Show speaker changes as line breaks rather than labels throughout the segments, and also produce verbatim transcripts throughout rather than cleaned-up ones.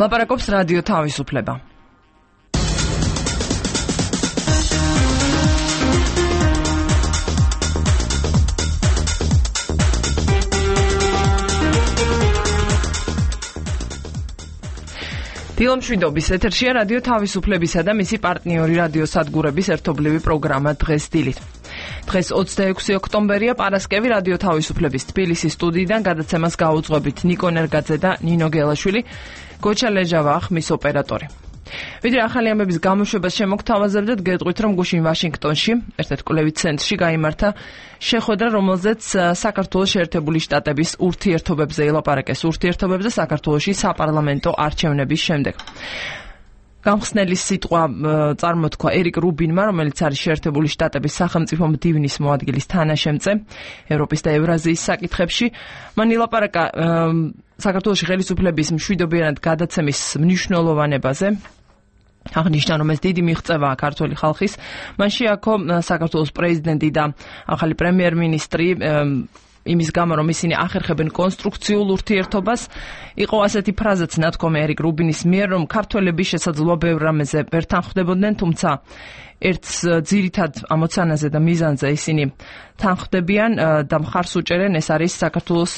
ლაპარაკობს რადიო თავისუფლება. დილომშვიდობის ეთერშია რადიო თავისუფლებისა და მისი პარტნიორი რადიო სადგურების ერთობლივი პროგრამა დღეს დილით. დღეს ოცდაექვსი ოქტომბერია, პარასკევი, რადიო თავისუფლების თბილისის სტუდიიდან გადაცემას გაუძღვებით ნიკო ნერგაძე და ნინო გელაშვილი, გოჩა ლეჟავა ხმის ოპერატორი. ვიდრე ახალი ამბების გამოშვებას შემოგთავაზებდეთ, გეტყვით, რომ გუშინ ვაშინგტონში, ერთ-ერთ კვლევით ცენტრში გაიმართა შეხვედრა, რომელზეც საქართველოს შეერთებული შტატების ურთიერთობებზე ელაპარაკეს, ურთიერთობებზე საქართველოში საპარლამენტო არჩევნების შემდეგ. გამხსნელი სიტყვა წარმოთქვა ერიკ რუბინმა, რომელიც არის შეერთებული შტატების სახელმწიფო მდივნის მოადგილის თანაშემწე ევროპის და ევრაზიის საკითხებში. მან ილაპარაკა საქართველოში ხელისუფლების მშვიდობიანად გადაცემის მნიშვნელოვანებაზე. აღნიშნა, რომ ეს დიდი მიღწევაა ქართული ხალხის. მან შეაქო საქართველოს პრეზიდენტი და ახალი პრემიერ-მინისტრი იმის გამო, რომ ისინი ახერხებენ კონსტრუქციულ ურთიერთობას. იყო ასეთი ფრაზაც ნათქვამი ერიკ რუბინის მიერ, რომ ქართველები შესაძლოა ბევრ რამეზე ვერ თანხვდებოდნენ, თუმცა ერთ ძირითად ამოცანაზე და მიზანზე ისინი თანხვდებიან და მხარს უჭერენ, ეს არის საქართველოს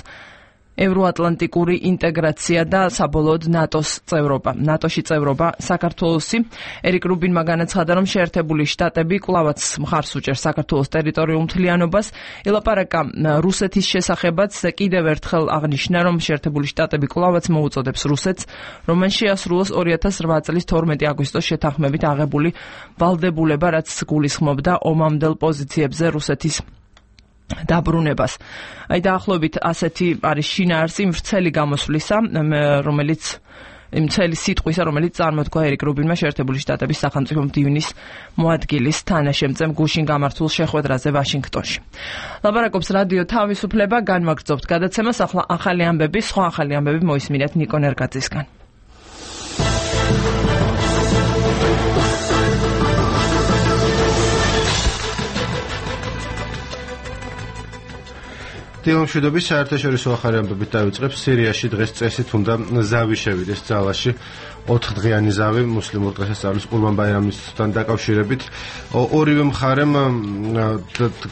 ევროატლანტიკური ინტეგრაცია და საბოლოოდ ნატოს წევრობა, ნატოში წევრობა საქართველოსი. ერიკ რუბინმა განაცხადა, რომ შეერთებული შტატები კვლავაც მხარს უჭერს საქართველოს ტერიტორიულ მთლიანობას. ელაპარაკა რუსეთის შესახებაც და კიდევ ერთხელ აღნიშნა, რომ შეერთებული შტატები კვლავაც მოუწოდებს რუსეთს, რომ მან შეასრულოს ორი ათას რვა წლის თორმეტი აგვისტოს შეთანხმებით აღებული ვალდებულება, რაც გულისხმობდა ომამდელ პოზიციებზე რუსეთის დაბრუნებას. აი დაახლოებით ასეთი არის შინაარსი იმ ვრცელი გამოსვლისა, რომელიც იმ ვრცელი სიტყვისა, რომელიც წარმოთქვა ერიკ რუბინმა შეერთებული შტატების სახელმწიფო მდივნის მოადგილის თანაშემწემ გუშინ გამართულ შეხვედრაზე ვაშინგტონში. ლაპარაკობს რადიო თავისუფლება, განვაგრძობთ გადაცემას, ახლა ახალი ამბები, სხვა ახალი ამბები მოისმინეთ ნიკო ნერგაძისგან.
დილომშვიდობის საერთაშორისო ახალი ამბებით დავიწყებს. სირიაში დღეს წესით უნდა ზავი შევიდეს ძალაში. ოთხდღიანი ზავი მუსლიმურ დღესასწაულის ყურბან ბაირამისთან დაკავშირებით. ორივე მხარემ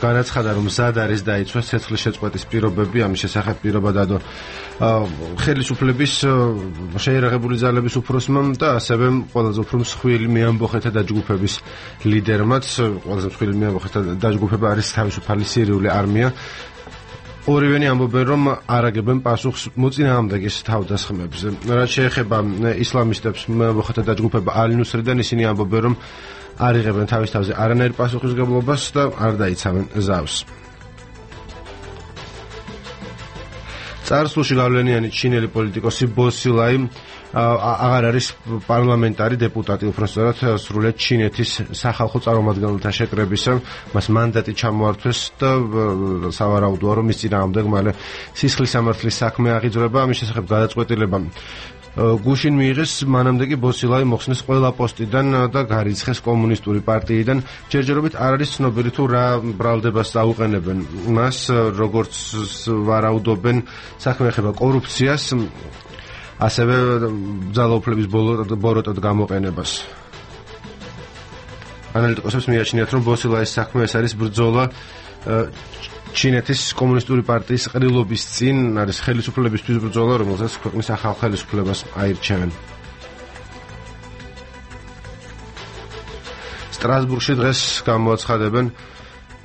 განაცხადა, რომ მზად არის დაიცვას ცეცხლის შეწყვეტის პირობები, ამის შესახებ პირობა დადო ხელისუფლების შეიარაღებული ძალების უფროსმა და ასევე ყველაზე უფრო მსხვილი მეამბოხეთა დაჯგუფების ლიდერმაც. ყველაზე მსხვილი მეამბოხეთა დაჯგუფება არის თავისუფალი სირიული არმია. ორივენი ამბობენ, რომ არ აგებენ პასუხს მოწინააღმდეგის თავდასხმებზე. რაც შეეხება ისლამისტებს, მეამბოხეთა დაჯგუფება ალ-ნუსრიდან, ისინი ამბობენ, რომ არ იღებენ თავის თავზე არანაირ პასუხისგებლობას და არ დაიცავენ ზავს. წარსულში გავლენიანი ჩინელი პოლიტიკოსი ბო სილაი აღარ არის პარლამენტარი დეპუტატი, უпростоრად სრულიად ჩინეთის სახალხო წარმომადგენელთა შეკრებისა, მას მანდატი ჩამოართვეს და სავარაუდოა, რომ მის წინააღმდეგ მალე სისხლის სამართლის საქმე აღიძვრება. ამის შესახებ გადაწყვეტილება გუშინ მიიღეს, მანამდე კი ბო სილაი მოხსნეს ყველა პოსტიდან და გარიცხეს კომუნისტური პარტიიდან. ჯერჯერობით არ არის ცნობილი თუ რა ბრალდებას აუყენებენ მას, როგორც ვარაუდობენ, საქმე ეხება კორუფციას, ასევე ძალაუფლების ბოროტად გამოყენებას. ანალიტიკოსებს მიაჩნიათ, რომ ბო სილაის საქმე ეს არის ბრძოლა ჩინეთის კომუნისტური პარტიის ყრილობის წინ, არის ხელისუფლებისთვის ბრძოლა, რომელსაც ქვეყნის ახალ ხელისუფლებას აირჩევენ. სტრასბურგში დღეს გამოაცხადებენ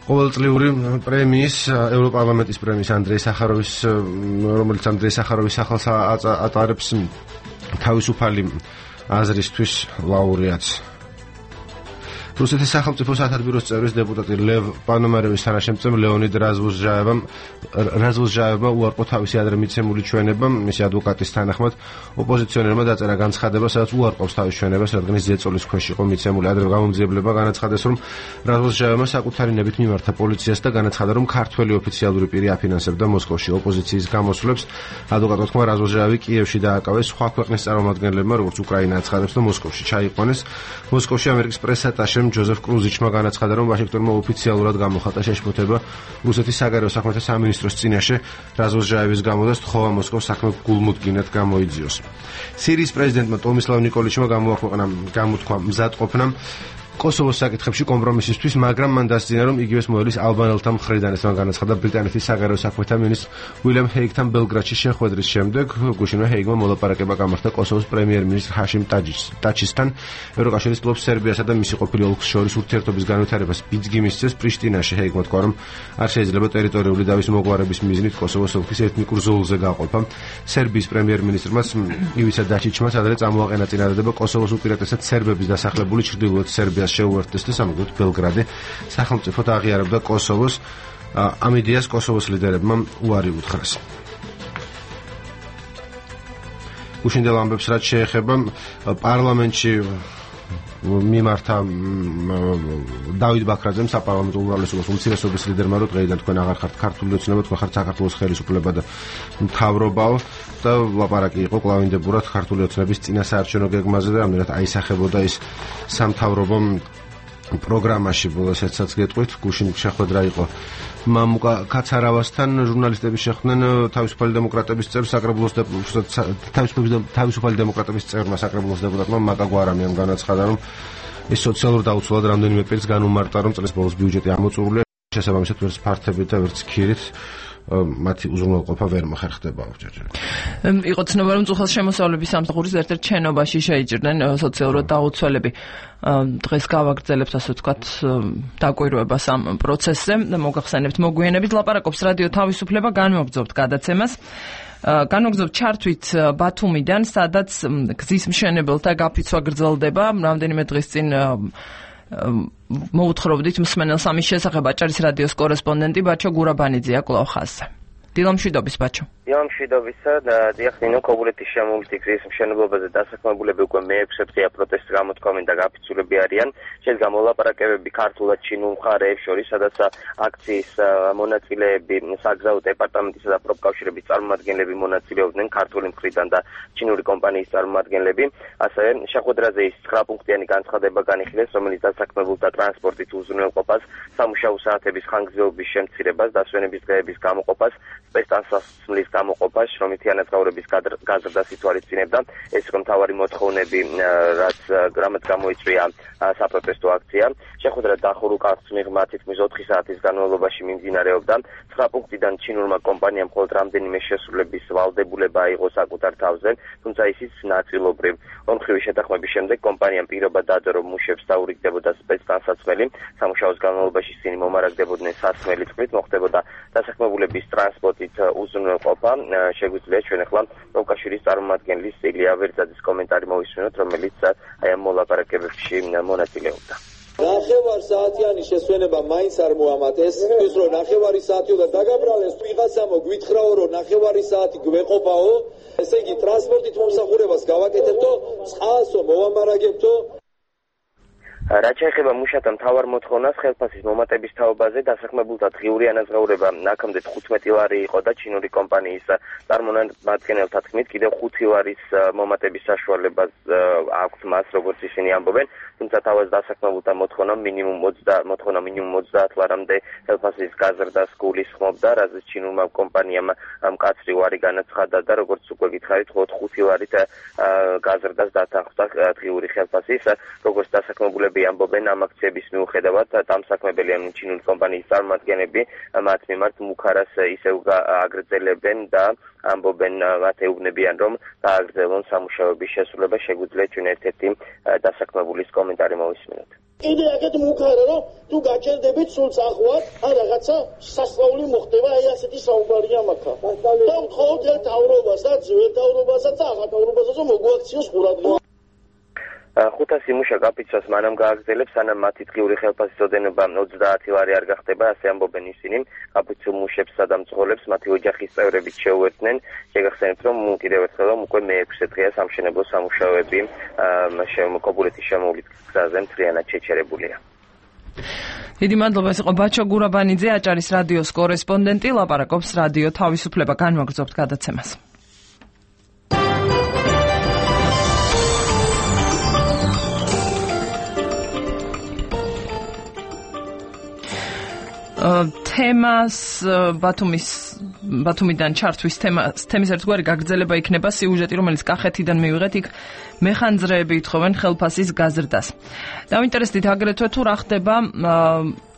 ყოველწლიური პრემიის, ევროპარლამენტის პრემიის ანდრეი სახაროვის, რომელიც ანდრეი სახაროვის სახელს ატარებს თავისუფალი აზრისთვის ლაურეატს. რუსეთის სახელმწიფო სათათბიროს წევრის დეპუტატი ლევ პანომარევის თანაშემწემ ლეონიდ რაზვოზჟაევამ რაზვოზჟაევმა უარყო თავისი ადრე მიცემული ჩვენება. მისი ადვოკატის თანახმად ოპოზიციონერმა დაწერა განცხადება, სადაც უარყობს თავის ჩვენებას, რადგან ის ზეწოლის ქვეშ იყო მიცემული. ადრე გამომძიებლება განაცხადეს, რომ რაზვოზჟაევმა საკუთარი ნებით მიმართა პოლიციას და განაცხადა, რომ ქართველი ოფიციალური პირი აფინანსებდა მოსკოვში ოპოზიციის გამოსვლებს. ადვოკატმა თქვა, რაზვოზჟაევი კიევში დააკავეს, სხვა ქვეყნის წარმომადგენლებმა, როგორც უკრაინა აცხადებს, და მოსკოვში ჩაიყვანეს. მოსკოვში ამერიკის პრეს-ატაშემ ჯოზეფ კრუზიჩმა განაცხადა, რომ ვაშინგტონმა ოფიციალურად გამოხატა შეშფოთება რუსეთის საგარეო საქმეთა სამინისტროს წინაშე რაზმოზჟაევის გამო და სთხოვა მოსკოვს საქმე გულმოდგინედ გამოიძიოს. სირიის პრეზიდენტმა ტომისლავ ნიკოლიჩმა გამოაქვეყნა გამოთქვა მზადყოფნა კოსოვოს საკითხებში კომპრომისისთვის, მაგრამ მან დასძინა, რომ იგივეს მოელის ალბანელთა მხრიდან. ეს განაცხადა ბრიტანეთის საგარეო საქმეთა მინისტრ უილიამ ჰეიგთან ბელგრადში შეხვედრის შემდეგ. გუშინვე ჰეიგმა მოლაპარაკება გამართა კოსოვოს პრემიერ-მინისტრ ჰაშიმ ტაჩისთან. ევროკავშირის კლუბ სერბიასა და მისი ყოფილი ოლქის შორის ურთიერთობის განვითარებას ბიძგი მისცეს პრიშტინაში. ჰეიგმა თქვა, რომ არ შეიძლება ტერიტორიული დავის მოგვარების მიზნით კოსოვოს ოლქის ეთნიკურ ზოლზე გაყოფა. სერბიის პრემიერ-მინისტრმაც ივიცა დაჩიჩმა ადრე წამოაყენა წინადადება კოსოვოს უპირატესად სერბების დასახლებული ჩრდილოეთ სერბიას შეუერთდეს და სამაგოდ ბელგრადი სახელმწიფოდ აღიარებდა კოსოვოს. ამ იდეას კოსოვოს ლიდერებმა უარი უთხრეს. უშინდელ ამბებს რაც შეეხება პარლამენტში მიმართა დავით ბაქრაძემ საპარლამენტო უმრავლესობას უმცირესობის ლიდერმა, რომ დღეიდან თქვენ აღარ ხართ ქართული ოცნება, თქვენ ხართ საქართველოს ხელისუფლება და მთავრობაო და ლაპარაკი იყო კლავინდებურად ქართული ოცნების წინასაარჩევნო გეგმაზე და რამდენად აისახებოდა ის სამთავრობო პროგრამაში. ბოლოს ეცაც გეტყვით, გუშინ შეხვედრა იყო მამუკა კაცარავასთან, ჟურნალისტები შეხვდნენ თავისუფალი დემოკრატების წევრ საკრებულოს თავისუფალი დემოკრატების წევრმა საკრებულოს დეპუტატმა მაკა გვარამიამ განაცხადა, რომ ის სოციალურ დაუცველად რამდენიმე პირს განუმარტა, რომ წლის ბოლოს ბიუჯეტი ამოწურულია, შესაბამისად ვერც ფართებით და ვერც ქირით მათი უზრუნველყოფა ვერ მოხერხდებაო ჯერჯერობით.
იყო ცნობა, რომ წუხას შემოსავლების სამსახურის ერთ-ერთ შენობაში შეიჭრნენ სოციალურად დაუცველები. დღეს გავაგრძელებთ, ასე ვთქვათ, დაკვირვებას ამ პროცესზე. მოგახსენებთ მოგვიანებით ლაპარაკობს რადიო თავისუფლება, განვაგრძობთ გადაცემას. განვაგრძობთ ჩართვით ბათუმიდან, სადაც გზის მშენებელთა გაფიცვა გრძელდება. რამდენიმე დღის წინ მოუთხრობდით მსმენელს ამის შესახებ. აჭარის რადიოს კორესპონდენტი ბაჩო გურაბანიძეა კვლავ ხაზზე. დილამშვიდობის ბაჩო.
დილამშვიდობისა და დიახინო კობულეთის შემოვლითი გზის მშენებლობაზე დასაქმებულები უკვე მეექვსე დღეა პროტესტს გამოთქვამენ და გაფიცულები არიან. შედგა მოლაპარაკებები ქართულად ჩინურ მხარეებს შორის, სადაც აქციის მონაწილეები, საგზაო დეპარტამენტისა და პროფკავშირების წარმომადგენლები მონაწილეობდნენ ქართული მხრიდან და ჩინური კომპანიის წარმომადგენლები. ასევე შეხვედრაზე ის ცხრა პუნქტიანი განცხადება განიხილეს, რომელიც დასაქმებულთა ტრანსპორტით უზრუნველყოფას, სამუშაო საათების ხანგრძლივობის შემცირებას, დასვენების დღეების გამოყოფას, სპეცტანსაცმლის გამოყოფას, შრომითი ანაზღაურების გაზრდას ითვალისწინებდა. ეს იყო მთავარი მოთხოვნები, რაც რამაც გამოიწვია საპროტესტო აქცია. შეხვედრა დახურუკავს მიღმა თითქმის ოთხი საათის განმავლობაში მიმდინარეობდა. ცხრა პუნქტიდან ჩინურმა კომპანიამ მხოლოდ რამდენიმე შესრულების ვალდებულება აიღო საკუთარ თავზე, თუმცა ისიც ნაწილობრივ. ორმხრივი შეთანხმების შემდეგ კომპანიამ პირობა დადო, რომ მუშებს დაურიგდებოდა სპეცტანსაცმელი. სამუშაოს განმავლობაში ისინი მომარაგდებოდნენ სასმელი წყლით, მოხდებოდა დასაქმებულების ტრანსპორტით უზრუნველყოფა. შეგვიძლია ჩვენ ახლა პროფკავშირის წარმომადგენლის ილია ვერძაძის კომენტარი მოვისმინოთ, რომელიც აი ამ მოლაპარაკებებში მონაწილეობდა.
ნახევარ საათიანი შესვენება მაინც არ მოამატეს. ის რომ ნახევარი საათიო და დაგაბრალეს, ვიღაცამო გვითხრაო, რომ ნახევარი საათი გვეყოფაო, ესე იგი ტრანსპორტით მომსახურებას გავაკეთებთო, წყალსო მოვამარაგებთო.
რაც შეეხება მუშათა მთავარ მოთხოვნას, ხელფასის მომატების თაობაზე დასაქმებულთა დღიური ანაზღაურება აქამდე თხუთმეტი ლარი იყო და ჩინური კომპანიის წარმომადგენელთა თქმით კიდევ ხუთი ლარის მომატების საშუალება აქვს მას, როგორც ისინი ამბობენ. თუმცა თავად დასაქმებულთა მოთხოვნა მინიმუმ მოთხოვნა მინიმუმ ოცდაათ ლარამდე ხელფასის გაზრდას გულისხმობდა, რაზეც ჩინურმა კომპანიამ მკაცრი ვარი განაცხადა და როგორც უკვე გითხარით, მხოლოდ ხუთი ლარით გაზრდას დათანხმდა დღიური ხელფასის, როგორც დასაქმებულები ამბობენ ამ აქციების მიუხედავად, დამსაქმებელი ამ ჩინური კომპანიის წარმომადგენლები მათ მიმართ მუქარას ისევ აგრძელებენ და ამბობენ, მათ ეუბნებიან, რომ გააგრძელონ სამუშაოების შესრულება. შეგვიძლია ჩვენ ერთ-ერთი დასაქმებულის კომენტარი მოვისმინოთ.
კიდე აქეთ მუქარა, რომ თუ გაჭერდებით სულ წახვათ, ან რაღაცა სასწაული მოხდება, აი ასეთი საუბარია მაქა. და ვთხოვთ ერთ თავრობასაც, ერთ თავრობასაც და ახალ თავრობასაც, რომ მოგვაქციოს ყურადღება.
ხუთასი მუშა გაფიცვას მანამ გააგრძელებს, სანამ მათი დღიური ხელფასის ოდენობა ოცდაათი ლარი არ გახდება, ასე ამბობენ ისინი. გაფიცულ მუშებსა და მძღოლებს მათი ოჯახის წევრებით შეუერთდნენ. შეგახსენებთ, რომ კიდევ ერთხელ უკვე მეექვსე დღეა სამშენებლო სამუშაოები კობულეთის შემოვლით გზაზე მთლიანად შეჩერებულია.
დიდი მადლობა, ეს იყო ბაჩო გურაბანიძე, აჭარის რადიოს კორესპონდენტი, ლაპარაკობს რადიო თავისუფლება. განვაგრძობთ გადაცემას. თემას ბათუმის ბათუმიდან ჩართვის თემას თემის ერთგვარი გაგრძელება იქნება სიუჟეტი, რომელიც კახეთიდან მივიღეთ, იქ მეხანძრეები ითხოვენ ხელფასის გაზრდას. დავინტერესდით აგრეთვე თუ რა ხდება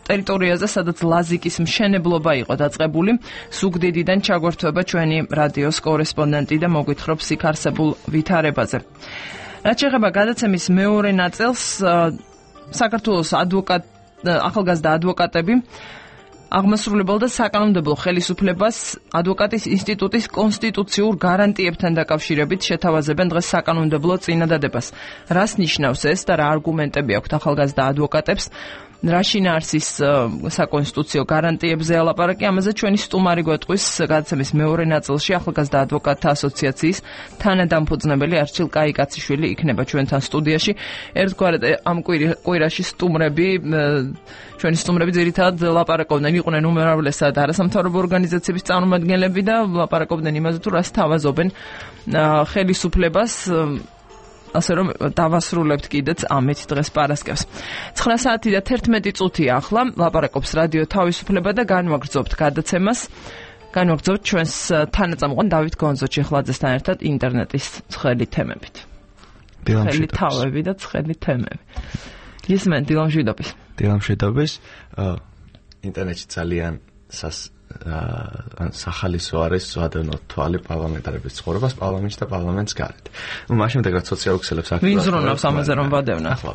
ტერიტორიაზე, სადაც ლაზიკის მშენებლობა იყო დაწყებული. ზუგდიდიდან ჩაგვერთვება ჩვენი რადიოს კორესპონდენტი და მოგვითხრობს იქ არსებულ ვითარებაზე. რაც შეეხება გადაცემის მეორე ნაწილს, საქართველოს ადვოკატ ახალგაზრდა ადვოკატები აღმასრულებელ და საკანონმდებლო ხელისუფლებას ადვოკატის ინსტიტუტის კონსტიტუციურ გარანტიებთან დაკავშირებით შეთავაზებენ დღეს საკანონმდებლო წინადადებას. რას ნიშნავს ეს და რა არგუმენტები აქვთ ახალგაზრდა ადვოკატებს? რა შინაარსის საკონსტიტუციო გარანტიებზე ალაპარაკი, ამაზე ჩვენი სტუმარი გვეტყვის გადაცემის მეორე ნაწილში ახალგაზრდა ადვოკატთა ასოციაციის თანადამფუძნებელი არჩილ კაიკაციშვილი იქნება ჩვენთან სტუდიაში. ერთგვარად ამ კვირაში სტუმრები ჩვენი სტუმრები ძირითადად ლაპარაკობდნენ, იყვნენ უმრავლესად არასამთავრობო ორგანიზაციების წარმომადგენლები და ლაპარაკობდნენ იმაზე თუ რას თავაზობენ ხელისუფლებას. ასე რომ დავასრულებთ კიდეც ამით დღეს პარასკევს. ცხრა საათი და თერთმეტი წუთია ახლა, ლაპარაკობს რადიო თავისუფლება და განვაგრძობთ გადაცემას. განვაგრძობთ ჩვენს თანაწამყვან დავით გონძო-ჩეხლაძესთან ერთად ინტერნეტის ცხელი თემებით. ცხელი თავები და ცხელი თემები. ისმენ დილამშვიდობის.
დილამშვიდობის. ინტერნეტში ძალიან სას სახალისო არის ზვადენო თვალი პარლამენტარების ცხოვრებას პარლამენტში და პარლამენტს გარეთ. ნუ მას შემდეგ რაც სოციალურ ქსელებს აქტიურად
ვინ ზრუნავს ამაზე რომ ვადევნა? ხო.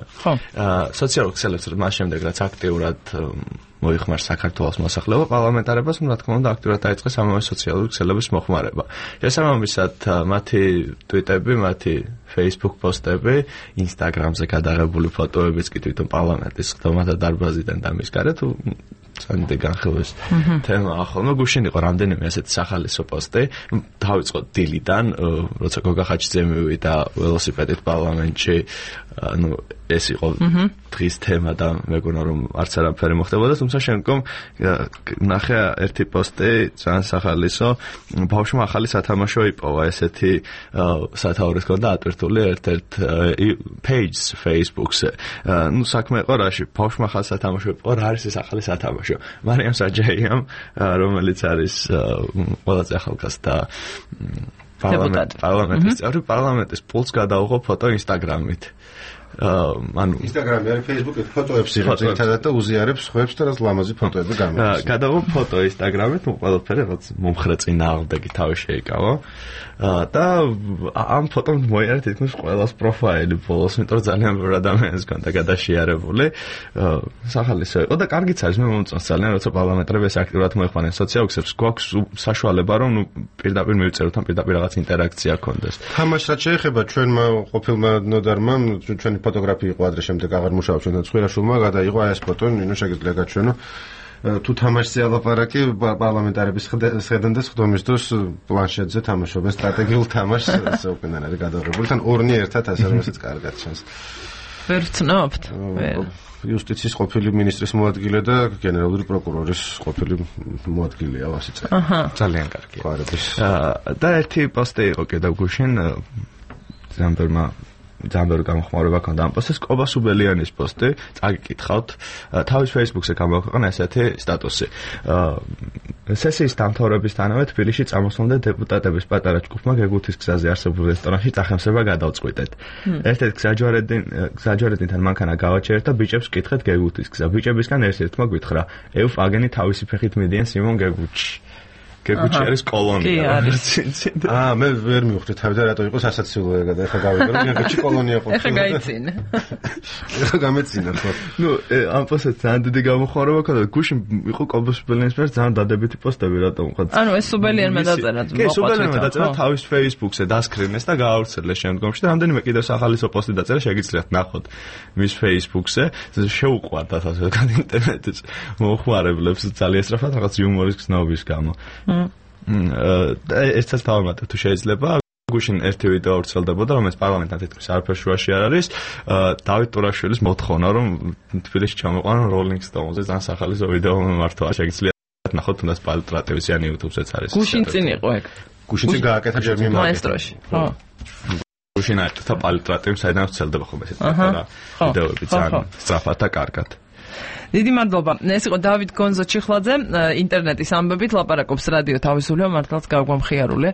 სოციალურ ქსელებს მას შემდეგ რაც აქტიურად მოიხმარს საქართველოს მოსახლეობა პარლამენტარებას, რა თქმა უნდა აქტიურად დაიწყეს ამავე სოციალური ქსელების მოხმარება. შესაბამისად მათი ტვიტები, მათი Facebook პოსტები, Instagram-ზე გადაღებული ფოტოებიც კი თვითონ პარლამენტის ხდომათა დარბაზიდან და მის გარეთ წანდი განხილვის თემა ახლა გუშინ იყო რამდენიმე ასეთი სახალისო პოსტი. დავიწყო დილიდან, როცა გოგა ხაჩიძე მივიდა ველოსიპედით პარლამენტში, ну ეს იყო დღის თემა და მეგონა რომ არც არაფერი მოხდებოდა, თუმცა შემდგომ ნახე ერთი პოსტი ძალიან სახალისო, ბავშვმა ახალი სათამაშო იპოვა, ესეთი სათაურის ჰქონდა ატვირთული ერთ-ერთ page Facebook-ზე. ну საქმე იყო რაში, ბავშვმა ახალი სათამაშო იპოვა, რა არის ეს ახალი სათამაშო? მარიამ საჯაიამ, რომელიც არის ყველაზე ახალგაზრდა პარლამენტის წევრი, პარლამენტის პულს გადაუღო ფოტო Instagram-ით. ანუ
Instagram-ი არის Facebook-ით ფოტოებს იღებს ერთადად და უზიარებს ხვებს და რაც ლამაზი ფოტოები გამოდის.
გადაუღო ფოტო Instagram-ით, ну ყველაფერი რაც მომხრე წინააღმდეგი თავი შეიკავა. და ამ ფოტომ მოიარა თითქმის ყველას პროფაილი ბოლოს, იმიტომ რომ ძალიან ბევრი ადამიანს ჰქონდა გადაშიარებული. სახალისო იყო და კარგიც არის, მე მომწონს ძალიან, როცა პარლამენტარები ეს აქტიურად მოეხმარენ სოციალურებს, გვაქვს საშუალება რომ ნუ პირდაპირ მივწეროთ, ან პირდაპირ რაღაც ინტერაქცია გქონდეს.
თამაშს რაც შეეხება ჩვენმა ყოფილმა ნოდარმა, ჩვენი ფოტოგრაფი იყო ადრე შემდეგ აღარ მუშაობს ჩვენთან ცხვირაშვილმა, გადაიღო ეს ფოტო, ნინო შეგიძლია გაჩვენო. თუ თამაშზე ალაპარაკი პარლამენტარების ხედან და სხდომის დროს პლანშეტზე თამაშობენ სტრატეგიულ თამაშს, ასე უკენან არის გადაღებული, თან ორნი ერთად ასე რომ ესეც კარგად ჩანს.
ვერ ვცნობთ.
იუსტიციის ყოფილი მინისტრის მოადგილე და გენერალური პროკურორის ყოფილი მოადგილეა ვასიწა.
ძალიან კარგია.
ყარების.
და ერთი პოსტი იყო კიდევ გუშინ ზამბერმა ძალიან გამოხმაურება ქონდა ამ პოსტს, კობა სუბელიანის პოსტი, წაგიკითხავთ, თავის Facebook-ზე გამოაქვეყნა ესეთი სტატუსი. სესიის დამთავრებისთანავე თბილისში წამოსვლამდე დეპუტატების პატარა ჯგუფმა გეგუთის გზაზე არსებულ რესტორანში წახემსება გადავწყვიტეთ. ერთ-ერთ გზაჯვარედინთან მანქანა გავაჩერეთ და ბიჭებს ვკითხეთ გეგუთის გზა. ბიჭებისგან ერთ-ერთმა გვითხრა, ეუф აგენი თავისი ფეხით მიდიან სიმონ გეგუთში. გეგუთში არის კოლონია.
აა მე ვერ მივხვდი თავი და რატო იყო სასაცილო ეგა და ეხა გავიგე რომ გეგუთში კოლონია ყოფილა.
ეხა გაიცინა.
ეხა გამეცინა ხო.
ნუ ამ პოსტს ძალიან დიდი გამოხმაურება ქონდა. გუშინ იყო კობა სუბელიანის მიერ ძალიან დადებითი პოსტები რატომ ხო?
ანუ ეს სუბელიანმა დაწერა.
კი, სუბელიანმა დაწერა თავის Facebook-ზე დასკრინეს და გაავრცელეს შემდგომში და რამდენიმე კიდევ სახალისო პოსტი დაწერა, შეგიძლიათ ნახოთ მის Facebook-ზე. შეუყვარდათ ასე ინტერნეტის მოხმარებლებს ძალიან სწრაფად რაღაც იუმორის გზნობის გამო. ერთსაც დავამატებ თუ შეიძლება. გუშინ ერთი ვიდეო ავრცელდებოდა, რომელიც პარლამენტთან თითქმის არაფერ შუაში არ არის. დავით ტურაშვილის მოთხოვნა, რომ თბილისში ჩამოყვანონ Rolling Stones-ზე ძალიან სახალისო ვიდეო მიმართვა. შეგიძლიათ ნახოთ, თუნდაც პალტრატივიც ან YouTube-ზეც არის.
გუშინ წინ იყო ეგ.
გუშინ წინ გააკეთა ჯერ მიმართვა.
მაესტროში. ხო.
გუშინ აერთთა პალტრატივი, საიდან ვრცელდება ხოლმე ესეთი პატარა ვიდეოები ძალიან სწრაფად და კარგად.
დიდი მადლობა. ეს იყო დავით გონზო-ჩიხლაძე, ინტერნეტის ამბებით ლაპარაკობს რადიო თავისუფლება, მართლაც გაგვამხიარულე.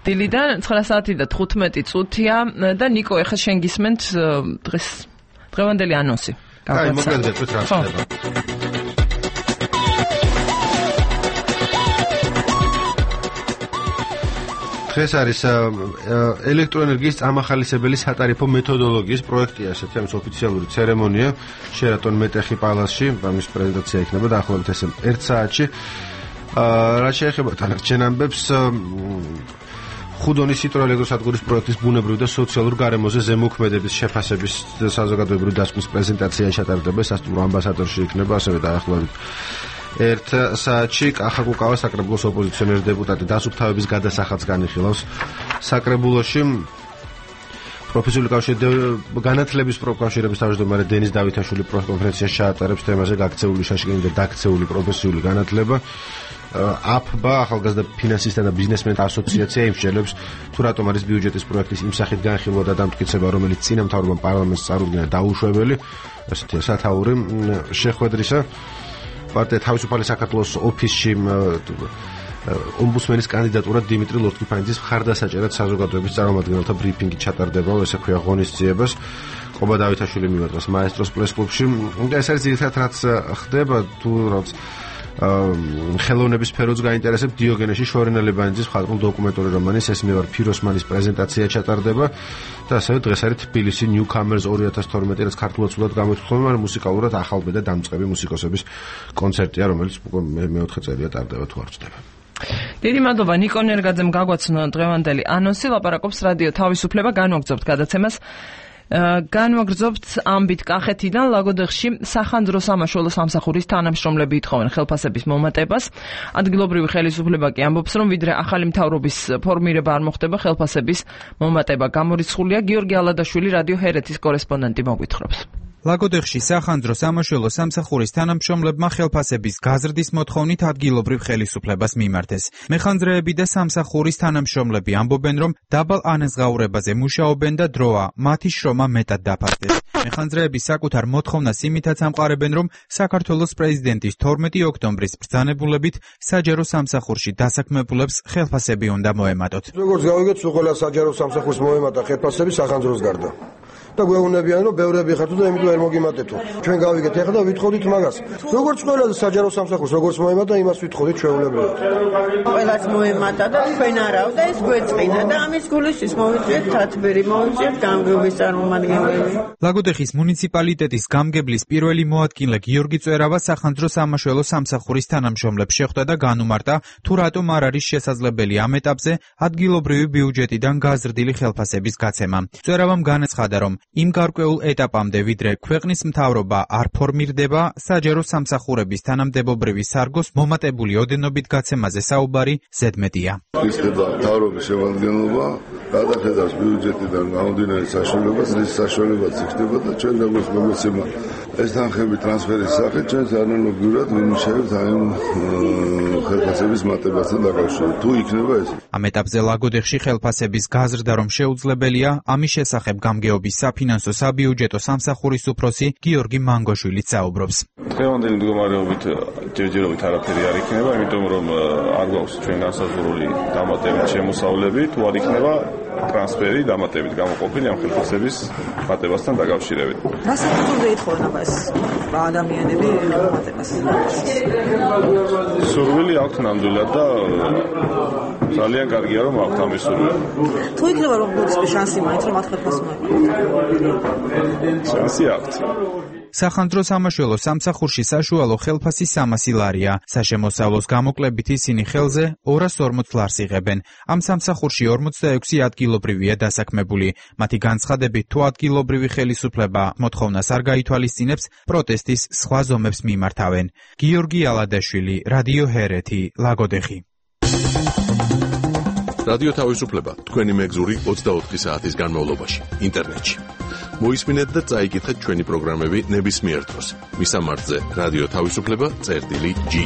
დილიდან ცხრა საათი და თხუთმეტი წუთია და ნიკო, ეხლა შენ გისმენთ დღეს დღევანდელი ანონსი.
აი, მოკლედ გეტყვით რა ხდება. დღეს არის ელექტროენერგიის წამახალისებელი სატარიფო მეთოდოლოგიის პროექტი, ასეთი ამის ოფიციალური ცერემონია შერატონ მეტეხი პალასში, ამის პრეზენტაცია იქნება დაახლოებით ესე ერთ საათში. რა შეეხება თანახმად ამბებს, ხუდონის ჰიდროელექტროსადგურის პროექტის ბუნებრივ და სოციალურ გარემოზე ზემოქმედების შეფასების საზოგადოებრივი დასკვნის პრეზენტაცია ჩატარდება, სასტუმრო ამბასადორში იქნება, ასევე დაახლოებით ერთ საათში კახაკუკავა საკრებულოს ოპოზიციონერი დეპუტატი დასუფთავების გადასახადს განიხილავს საკრებულოში. პროფესიული კავშირი განათლების პროფკავშირების თავმჯდომარე დენის დავითაშვილი პრესკონფერენციას ჩაატარებს თემაზე გაქცეული შაშკენი და დაქცეული პროფესიული განათლება. აფბა ახალგაზრდა ფინანსისტთა და ბიზნესმენთა ასოციაცია იმსჯელებს თუ რატომ არის ბიუჯეტის პროექტის იმ სახით განხილვა და დამტკიცება, რომელიც წინა მთავრობამ პარლამენტს წარუდგინა დაუშვებელი. ასეთია სათაური შეხვედრისა. პარტია თავისუფალი საქართველოს ოფისში ომბუდსმენის კანდიდატურად დიმიტრი ლორთქიფანიძის მხარდასაჭერად საზოგადოების წარმომადგენელთა ბრიფინგი ჩატარდება, ესე ქვია ღონისძიებას. ყობა დავითაშვილი მიმართავს მაესტროს პრესკლუბში. ეს არის ძირითადად რაც ხდება, თუ რაც ხელოვნების სფეროც გაინტერესებს. დიოგენეში შორენა ლებანიძის მხატვრულ დოკუმენტური რომანის ეს მე ვარ ფიროსმანის პრეზენტაცია ჩატარდება და ასევე დღეს არის თბილისი ნიუკამერს ორი ათას თორმეტი, რაც ქართულად სულად გამოიხსნება, მაგრამ მუსიკალურად ახალბე და დამწყები მუსიკოსების კონცერტია, რომელიც მეოთხე წელია ტარდება თუ არ ვწდები.
დიდი მადლობა ნიკო ნერგაძემ გაგვაცნო დღევანდელი ანონსი, ლაპარაკობს რადიო თავისუფლება, განვაგრძობთ გადაცემას. განვაგრძობთ ამბით კახეთიდან ლაგოდეხში სახანძრო სამაშველო სამსახურის თანამშრომლები ითხოვენ ხელფასების მომატებას. ადგილობრივი ხელისუფლება კი ამბობს, რომ ვიდრე ახალი მთავრობის ფორმირება არ მოხდება, ხელფასების მომატება გამორიცხულია. გიორგი ალადაშვილი რადიო ჰერეთის კორესპონდენტი მოგვითხრობს.
ლაგოდეხში სახანძრო სამაშველო სამსახურის თანამშრომლებმა ხელფასების გაზრდის მოთხოვნით ადგილობრივ ხელისუფლებას მიმართეს. მეხანძრეები და სამსახურის თანამშრომლები ამბობენ, რომ დაბალ ანაზღაურებაზე მუშაობენ და დროა მათი შრომა მეტად დაფასდეს. მეხანძრეები საკუთარ მოთხოვნას იმითაც ამყარებენ, რომ საქართველოს პრეზიდენტის თორმეტი ოქტომბრის ბრძანებულებით საჯარო სამსახურში დასაქმებულებს ხელფასები უნდა მოემატოთ.
როგორც გავიგეთ, ყველა საჯარო სამსახურს მოემატა ხელფასები სახანძროს გარდა. და გვეუბნებიან, რომ ბევრები ხართ და იმიტომ არ მოგიმატეთო. ჩვენ გავიგეთ ეხლა და ვითხოვდით მაგას. როგორც ყველა საჯარო სამსახურს როგორც მოემატა, იმას ვითხოვდით ჩვეულებრივად.
ყველას მოემატა და ჩვენ არავ და ეს გვეწყინა და ამის გულისთვის მოვიწვიეთ თათბირი, მოვიწვიეთ გამგეობის წარმომადგენლები.
ლაგოდეხის მუნიციპალიტეტის გამგებლის პირველი მოადგილე გიორგი წერავა სახანძრო სამაშველო სამსახურის თანამშრომლებს შეხვდა და განუმარტა, თუ რატომ არ არის შესაძლებელი ამ ეტაპზე ადგილობრივი ბიუჯეტიდან გაზრდილი ხელფასების გაცემა. წერავამ განაცხადა, რომ იმ გარკვეულ ეტაპამდე, ვიდრე ქვეყნის მთავრობა არ ფორმირდება, საჯარო სამსახურების თანამდებობრივი სარგოს მომატებული ოდენობით გაცემაზე საუბარი ზედმეტია.
ისდება მთავრობის შემადგენლობა, გადახედავს ბიუჯეტიდან გამომდინარე საშუალებას, რის საშუალებაც იქნება და ჩვენ გამოსმოგეცემა ეს თანხები ტრანსფერის სახით ჩვენს ანალოგიურად ვიმუშავებთ აი ხელფასების მატებასთან დაკავშირებით. თუ იქნება ეს.
ამ ეტაპზე ლაგოდეხში ხელფასების გაზრდა რომ შეუძლებელია, ამის შესახებ გამგეობის საფინანსო საბიუჯეტო სამსახურის უფროსი გიორგი მანგოშვილიც საუბრობს.
დღევანდელი მდგომარეობით ჯერჯერობით არაფერი არ იქნება, იმიტომ რომ არ გვაქვს ჩვენ განსაზღვრული დამატებით შემოსავლები, თუ არ იქნება ტრანსფერი დამატებით გამოყოფილი ამ ხელფასების მატებასთან დაკავშირებით.
რა საკითხებზე ითხოვენ ამას ადამიანები მატებას?
სურვილი აქვთ ნამდვილად და ძალიან კარგია რომ აქვთ ამის სურვილი.
თუ იქნება რომ გულწრფელი შანსი მაინც რომ მათ ხელფასს მოეპყრობთ?
შანსი აქვთ.
სახანძრო სამაშველო სამსახურში საშუალო ხელფასი სამასი ლარია. საშემოსავლოს გამოკლებით ისინი ხელზე ორას ორმოც ლარს იღებენ. ამ სამსახურში ორმოცდაექვსი ადგილობრივია დასაქმებული. მათი განცხადებით, თუ ადგილობრივი ხელისუფლება მოთხოვნას არ გაითვალისწინებს, პროტესტის სხვა ზომებს მიმართავენ. გიორგი ალადაშვილი, რადიო ჰერეთი, ლაგოდეხი.
რადიო თავისუფლება, თქვენი მეგზური ოცდაოთხი საათის განმავლობაში, ინტერნეტში. მოისმინეთ და წაიკითხეთ ჩვენი პროგრამები ნებისმიერ დროს. მისამართზე რადიო თავისუფლება წერტილი ჯი.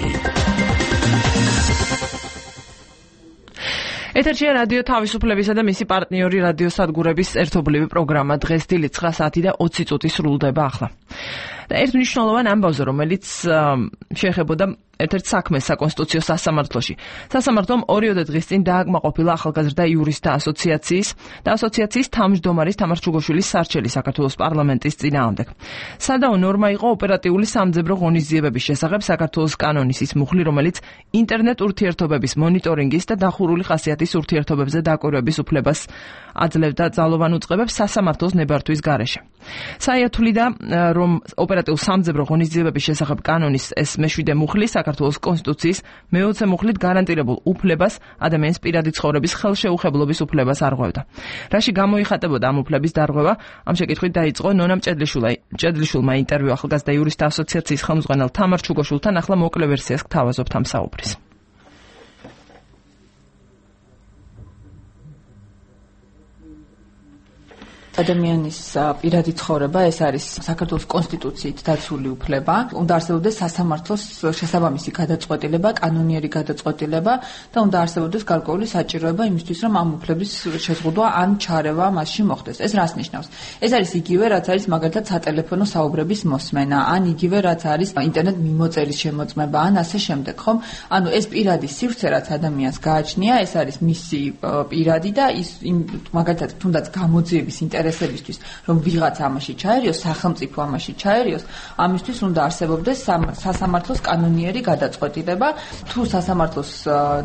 ეთერშია რადიო თავისუფლებისა და მისი პარტნიორი რადიო სადგურების ერთობლივი პროგრამა. დღეს დილით ცხრა საათი და ოცი წუთი სრულდება ახლა. და ერთ მნიშვნელოვან ამბავზე, რომელიც შეეხებოდა ერთ-ერთ საქმეს საკონსტიტუციო სასამართლოში. სასამართლომ ორიოდე დღის წინ დააკმაყოფილა ახალგაზრდა იურისტთა ასოციაციის და ასოციაციის თავმჯდომარის თამარ ჩუგოშვილის სარჩელი საქართველოს პარლამენტის წინააღმდეგ. სადაო ნორმა იყო ოპერატიული სამძებრო ღონისძიებების შესახებ საქართველოს კანონის ის მუხლი, რომელიც ინტერნეტ ურთიერთობების მონიტორინგის და დახურული ხასიათის ურთიერთობებზე დაკვირვების უფლებას აძლევდა ძალოვან უწყებებს სასამართლოს ნებართვის გარეშე. საერთულიდა, რომ ოპერატიულ სამძებრო ღონისძიებების შესახებ კანონის ეს მეშვიდე მუხლი საქართველოს კონსტიტუციის მეოცე მუხლით გარანტირებულ უფლებას, ადამიანის პირადი ცხოვრების ხელშეუხებლობის უფლებას არღვევდა. რაში გამოიხატებოდა ამ უფლების დარღვევა? ამ შეკითხვით დაიწყო ნონა მჭედლიშვილმა ინტერვიუ ახალგაზრდა იურისტთა ასოციაციის ხელმძღვანელ თამარ ჩუგოშვილთან. ახლა მოკლე ვერსიას გთავაზობთ ამ საუბრის.
ადამიანის პირადი ცხოვრება ეს არის საქართველოს კონსტიტუციით დაცული უფლება. უნდა არსებობდეს სასამართლოს შესაბამისი გადაწყვეტილება, კანონიერი გადაწყვეტილება და უნდა არსებობდეს გარკვეული საჭიროება იმისთვის, რომ ამ უფლების შეზღუდვა ან ჩარევა მასში მოხდეს. ეს რას ნიშნავს? ეს არის იგივე, რაც არის მაგალითად სატელეფონო საუბრების მოსმენა, ან იგივე, რაც არის ინტერნეტ მიმოწერის შემოწმება, ან ასე შემდეგ, ხომ? ანუ ეს პირადი სივრცე, რაც ადამიანს გააჩნია, ეს არის მისი პირადი და ის მაგალითად თუნდაც გამოძიების ინტერესებისთვის, რომ ვიღაც ამაში ჩაერიოს, სახელმწიფო ამაში ჩაერიოს, ამისთვის უნდა არსებობდეს სასამართლოს კანონიერი გადაწყვეტილება. თუ სასამართლოს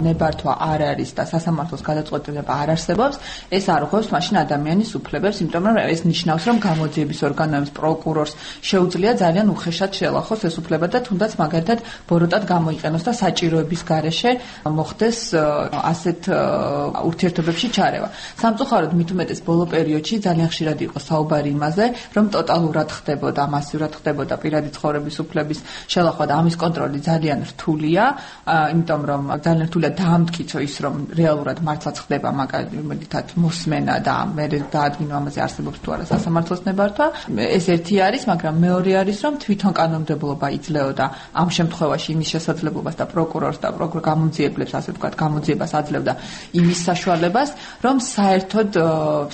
ნებართვა არ არის და სასამართლოს გადაწყვეტილება არ არსებობს, ეს არ ღვევს მაშინ ადამიანის უფლებებს, იმიტომ რომ ეს ნიშნავს, რომ გამოძიების ორგანოებს, პროკურორს შეუძლია ძალიან უხეშად შეელახოს ეს უფლება და თუნდაც მაგალითად ბოროტად გამოიყენოს და საჭიროების გარეშე მოხდეს ასეთ ურთიერთობებში ჩარევა. სამწუხაროდ მით უმეტეს ბოლო პერიოდში ძალიან ხშირად იყო საუბარი იმაზე, რომ ტოტალურად ხდებოდა, მასიურად ხდებოდა პირადი ცხოვრების უფლების შელახვა და ამის კონტროლი ძალიან რთულია, იმიტომ რომ ძალიან რთულია დაამტკიცო ის, რომ რეალურად მართლაც ხდება მაგალითად მოსმენა და მე დაადგინო ამაზე არსებობს თუ არა სასამართლოს ნებართვა. ეს ერთი არის, მაგრამ მეორე არის, რომ თვითონ კანონმდებლობა იძლეოდა ამ შემთხვევაში იმის შესაძლებლობას და პროკურორს და პროკურორ გამოძიებლებს, ასე ვთქვათ, გამოძიებას აძლევდა იმის საშუალებას, რომ საერთოდ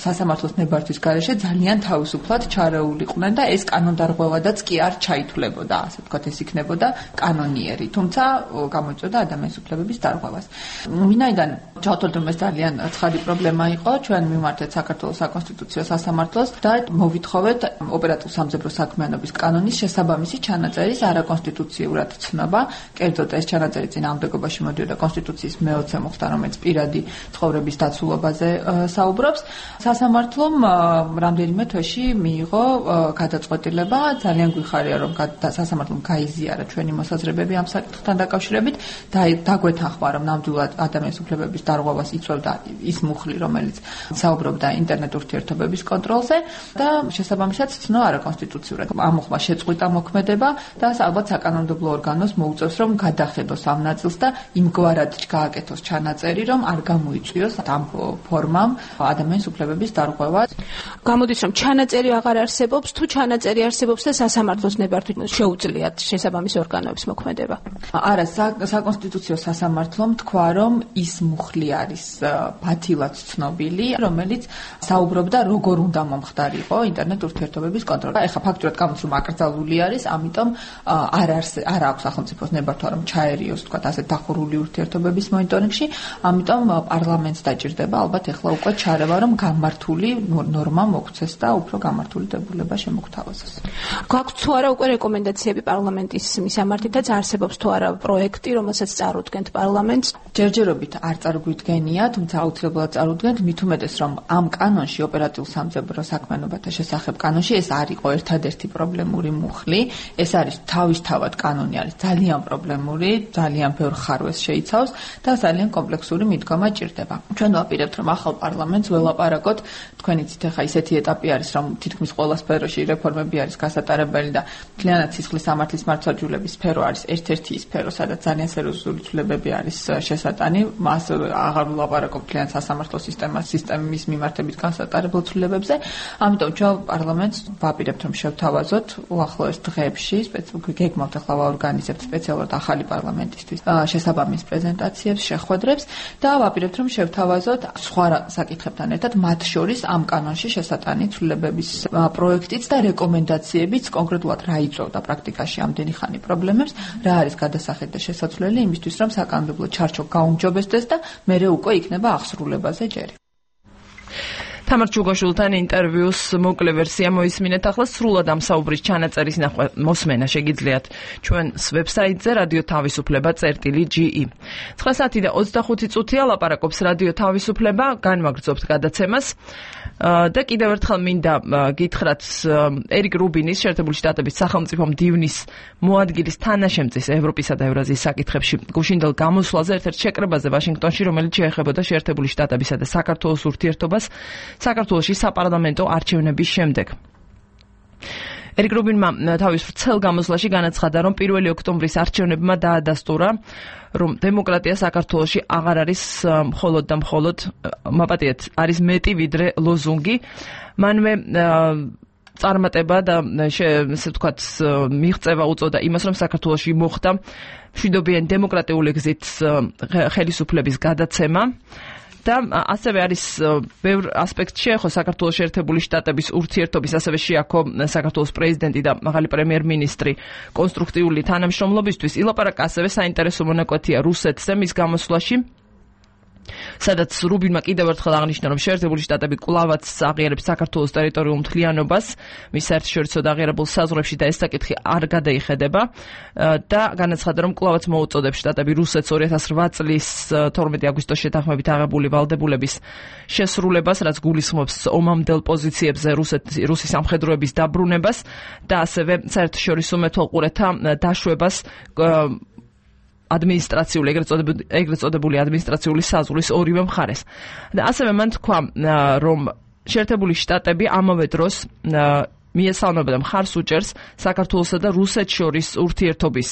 სასამართლოს ნებართვის გარეშე ძალიან თავისუფლად ჩარეულიყვნენ და ეს კანონდარღვევადაც კი არ ჩაითვლებოდა, ასე ვთქვათ, ეს იქნებოდა კანონიერი, თუმცა გამოიწვევდა ადამიანის უფლებების დარღვევას. ვინაიდან ჩავთვალეთ, რომ ეს ძალიან ცხადი პრობლემა იყო, ჩვენ მიმართეთ საქართველოს საკონსტიტუციო სასამართლოს და მოვითხოვეთ ოპერატიულ სამძებრო საქმიანობის კანონის შესაბამისი ჩანაწერის არაკონსტიტუციურად ცნობა. კერძოდ ეს ჩანაწერი წინააღმდეგობაში მოდიოდა კონსტიტუციის მეოცე მუხლთან, რომელიც პირადი ცხოვრების დაცულობაზე საუბრობს. სასამართლომ რამდენიმე თვეში მიიღო გადაწყვეტილება. ძალიან გვიხარია, რომ სასამართლომ გაიზიარა ჩვენი მოსაზრებები ამ საკითხთან დაკავშირებით და დაგვეთანხმა, რომ ნამდვილად ადამიანის უფლებების დარღვევას იწვევდა ის მუხლი, რომელიც საუბრობდა ინტერნეტ ურთიერთობების კონტროლზე და შესაბამისად ცნო არაკონსტიტუციურად. ამ მუხლმა შეწყვიტა მოქმედება და ალბათ საკანონმდებლო ორგანოს მოუწევს, რომ გადახედოს ამ ნაწილს და იმგვარად გააკეთოს ჩანაწერი, რომ არ გამოიწვიოს ამ ფორმამ ადამიანის უფლებების დარღვევა.
გამოდის, რომ ჩანაწერი აღარ არსებობს, თუ ჩანაწერი არსებობს და სასამართლოს ნებართვით შეუძლიათ შესაბამის ორგანოების მოქმედება.
არა, საკონსტიტუციო სასამართლომ თქვა, რომ ის მუხლი არის ბათილად ცნობილი, რომელიც საუბრობდა, როგორ უნდა მომხდარიყო ინტერნეტ ურთიერთობების კონტროლი. ეხლა ფაქტურად გამოდის, რომ აკრძალული არის, ამიტომ არ არის არ აქვს სახელმწიფოს ნებართვა, რომ ჩაერიოს, თქვა, ასე დახურული ურთიერთობების მონიტორინგში, ამიტომ პარლამენტს დაჭირდება ალბათ ეხლა უკვე ჩარევა, რომ გამართული ნორმა მოგცეს და უფრო გამართული დებულება შემოგთავაზოს.
გაქვს თუ არა უკვე რეკომენდაციები პარლამენტის მისამართითაც, არსებობს თუ არა პროექტი, რომელსაც წარუდგენთ პარლამენტს?
ჯერჯერობით არ წარგვიდგენია, თუმცა აუცილებლად წარუდგენთ, მით უმეტეს, რომ ამ კანონში, ოპერატიულ სამძებრო საქმიანობათა შესახებ კანონში, ეს არ იყო ერთადერთი პრობლემური მუხლი, ეს არის თავისთავად კანონი არის ძალიან პრობლემური, ძალიან ბევრ ხარვეს შეიცავს და ძალიან კომპლექსური მიდგომა ჭირდება. ჩვენ ვაპირებთ, რომ ახალ პარლამენტს ველაპარაკოთ, თქვენ იცით, ახლა ისეთი ეტაპი არის, რომ თითქმის ყველა სფეროში რეფორმები არის გასატარებელი და მთლიანად სისხლის სამართლის მართლმსაჯულების სფერო არის ერთ-ერთი სფერო, სადაც ძალიან სერიოზული ცვლილებები არის შესაძლებელი. შესატანი, მას აღარ ვლაპარაკობ ძალიან სასამართლო სისტემას, სისტემის მიმართებით განსაკუთრებულ ცვლილებებზე. ამიტომ ჩვენ პარლამენტს ვაპირებთ, რომ შევთავაზოთ უახლოეს დღეებში, გეგმავთ ახლა ვაორგანიზებთ სპეციალურად ახალი პარლამენტისთვის შესაბამის პრეზენტაციებს, შეხვედრებს და ვაპირებთ, რომ შევთავაზოთ სხვა საკითხებთან ერთად, მათ შორის ამ კანონში შესატანი ცვლილებების პროექტიც და რეკომენდაციებიც, კონკრეტულად რა იწვევდა პრაქტიკაში ამდენი ხანი პრობლემებს, რა არის გადასახადი და შესაძლებელი იმისთვის, რომ საკანონმდებლო ჩარჩო გაუმჯობესდეს და მერე უკვე იქნება აღსრულებაზე ჯერი. თამარ ჩუგაშვილთან ინტერვიუს მოკლე ვერსია მოისმინეთ. ახლა სრულად ამ საუბრის ჩანაწერის ნახვა მოსმენა შეგიძლიათ ჩვენს ვებსაიტზე რადიო თავისუფლება წერტილი ჯი ი. ცხრა საათი და ოცდახუთი წუთია ლაპარაკობს რადიო თავისუფლება, განვაგრძობთ გადაცემას. და კიდევ ერთხელ მინდა გითხრათ ერიკ რუბინის შეერთებული შტატების სახელმწიფო მდივნის მოადგილის თანაშემწის ევროპისა და ევრაზიის საკითხებში გუშინდელ გამოსვლაზე ერთ-ერთ შეკრებაზე ვაშინგტონში, რომელიც შეეხებოდა შეერთებული შტატებისა და საქართველოს ურთიერთობას საქართველოში საპარლამენტო არჩევნების შემდეგ. ერიკ რუბინმა თავის ვრცელ გამოსვლაში განაცხადა, რომ პირველი ოქტომბრის არჩევნებმა დაადასტურა, რომ დემოკრატია საქართველოში აღარ არის მხოლოდ და მხოლოდ მაპატიეთ, არის მეტი ვიდრე ლოზუნგი. მანვე წარმატება და ესე ვთქვათ მიღწევა უწოდა იმას, რომ საქართველოში მოხდა მშვიდობიანი დემოკრატიული გზით ხელისუფლების გადაცემა. და ასევე არის ბევრ ასპექტში შეეხო საქართველოს შეერთებული შტატების ურთიერთობის, ასევე შეაქო საქართველოს პრეზიდენტი და მაღალი პრემიერ-მინისტრი კონსტრუქტიული თანამშრომლობისთვის. ილაპარაკა ასევე საინტერესო მონაკვეთია რუსეთზე მის გამოსვლაში, სადაც რუბინმა კიდევ ერთხელ აღნიშნა, რომ შეერთებული შტატები კვლავაც აღიარებს საქართველოს ტერიტორიულ მთლიანობას მის საერთაშორისო აღიარებულ საზღვრებში და ეს საკითხი არ გადაიხედება და განაცხადა, რომ კვლავაც მოუწოდებს შტატები რუსეთს ორი ათას რვა წლის თორმეტი აგვისტოს შეთანხმებით აღებული ვალდებულების შესრულებას, რაც გულისხმობს ომამდელ პოზიციებზე რუსის სამხედროების დაბრუნებას და ასევე საერთაშორისო მეთვალყურეთა დაშვებას ადმინისტრაციული, ეგრეთ წოდებული ადმინისტრაციული საზღვრის ორივე მხარეს. და ასევე მან თქვა, რომ შეერთებული შტატები ამავე დროს მიესალმება და მხარს უჭერს საქართველოსა და რუსეთს შორის ურთიერთობის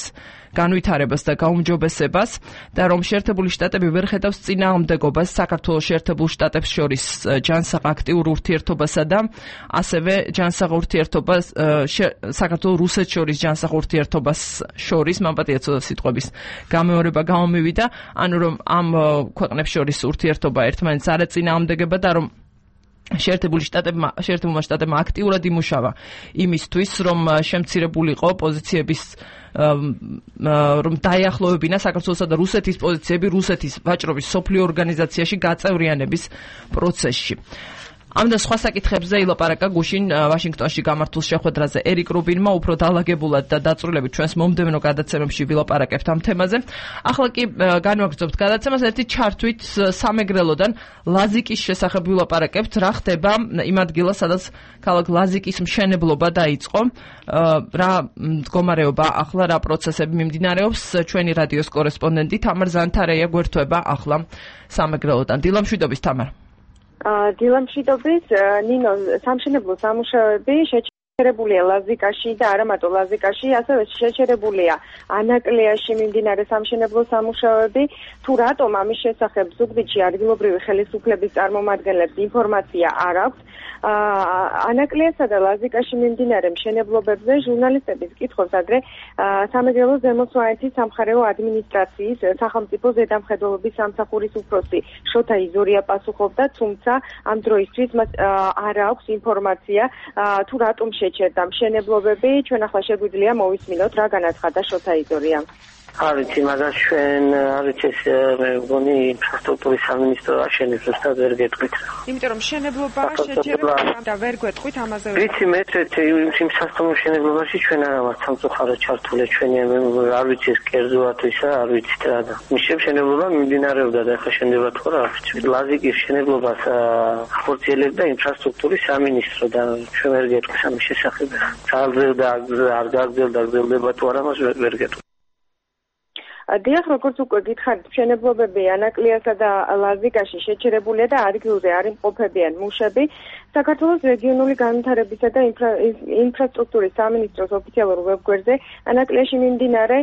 განვითარებას და გაუმჯობესებას და რომ შეერთებული შტატები ვერ ხედავს წინააღმდეგობას საქართველოს შეერთებულ შტატებს შორის ჯანსაღ აქტიურ ურთიერთობასა და ასევე ჯანსაღ ურთიერთობას საქართველოს რუსეთს შორის ჯანსაღ ურთიერთობას შორის მამპატია ცოტა სიტყვების გამეორება გამომივიდა, ანუ რომ ამ ქვეყნებს შორის ურთიერთობა ერთმანეთს არ ეწინააღმდეგება და რომ შეერთებული შტატებმა შეერთებულმა შტატებმა აქტიურად იმუშავა იმისთვის, რომ შემცირებულიყო პოზიციების რომ დაიახლოვებინა საქართველოსა და რუსეთის პოზიციები რუსეთის ვაჭრობის სოფლიო ორგანიზაციაში გაწევრიანების პროცესში. ამ და სხვა საკითხებზე ილაპარაკა გუშინ ვაშინგტონში გამართულ შეხვედრაზე ერიკ რუბინმა უფრო დალაგებულად და დაწვრილებით ჩვენს მომდევნო გადაცემებში ვილაპარაკებთ ამ თემაზე. ახლა კი განვაგრძობთ გადაცემას ერთი ჩართვით სამეგრელოდან ლაზიკის შესახებ ვილაპარაკებთ, რა ხდება იმ ადგილას, სადაც ქალაქ ლაზიკის მშენებლობა დაიწყო, რა მდგომარეობა ახლა, რა პროცესები მიმდინარეობს. ჩვენი რადიოს კორესპონდენტი თამარ ზანთარეია გვერდება ახლა სამეგრელოდან. დილამშვიდობის თამარ.
დილამშვიდობის, ნინო, სამშენებლო სამუშაოები შეჩერებულია ლაზიკაში და არა მარტო ლაზიკაში, ასევე შეჩერებულია ანაკლიაში მიმდინარე სამშენებლო სამუშაოები. თუ რატომ ამის შესახებ ზუგდიდში ადგილობრივი ხელისუფლების წარმომადგენლებს ინფორმაცია არ აქვს, ანაკლიასა და ლაზიკაში მიმდინარე მშენებლობებზე ჟურნალისტების კითხვებს ადრე სამეგრელოს ზემო სვანეთის სამხარეო ადმინისტრაციის სახელმწიფო ზედამხედველობის სამსახურის უფროსი შოთა იზორია პასუხობდა, თუმცა ამ დროისთვის მას არ აქვს ინფორმაცია თუ რატომ შეჩერდა მშენებლობები. ჩვენ ახლა შეგვიძლია მოვისმინოთ რა განაცხადა შოთა იზორია.
არ ვიცი, მაგას ჩვენ არ ვიცი, მე მგონი ინფრასტრუქტურის სამინისტრო აშენებს, ზუსტად ვერ გეტყვით.
იმიტომ რომ მშენებლობაა შეჩერება და ვერ გვეტყვით ამაზე.
ვიცი, მე იმ სასტუმრო მშენებლობაში ჩვენ არა ვართ სამწუხაროდ ჩართული, ჩვენი არ ვიცი ეს კერძოა თუ ისა, არ ვიცით რა და. მიშენ მშენებლობა მიმდინარეობდა და ახლა შენდება თუ რა, არ ვიცი. ლაზიკის მშენებლობას ხორციელებდა ინფრასტრუქტურის სამინისტრო და ჩვენ ვერ გეტყვით ამის შესახებ. გაგრძელდა, არ გაგრძელდა, გაგრძელდება თუ არა, მას ვერ გეტყვით.
დიახ, როგორც უკვე გითხარით, მშენებლობები ანაკლიასა და ლაზიკაში შეჩერებულია და ადგილზე არ იმყოფებიან მუშები. საქართველოს რეგიონული განვითარებისა და ინფრასტრუქტურის სამინისტროს ოფიციალურ ვებგვერდზე ანაკლიაში მიმდინარე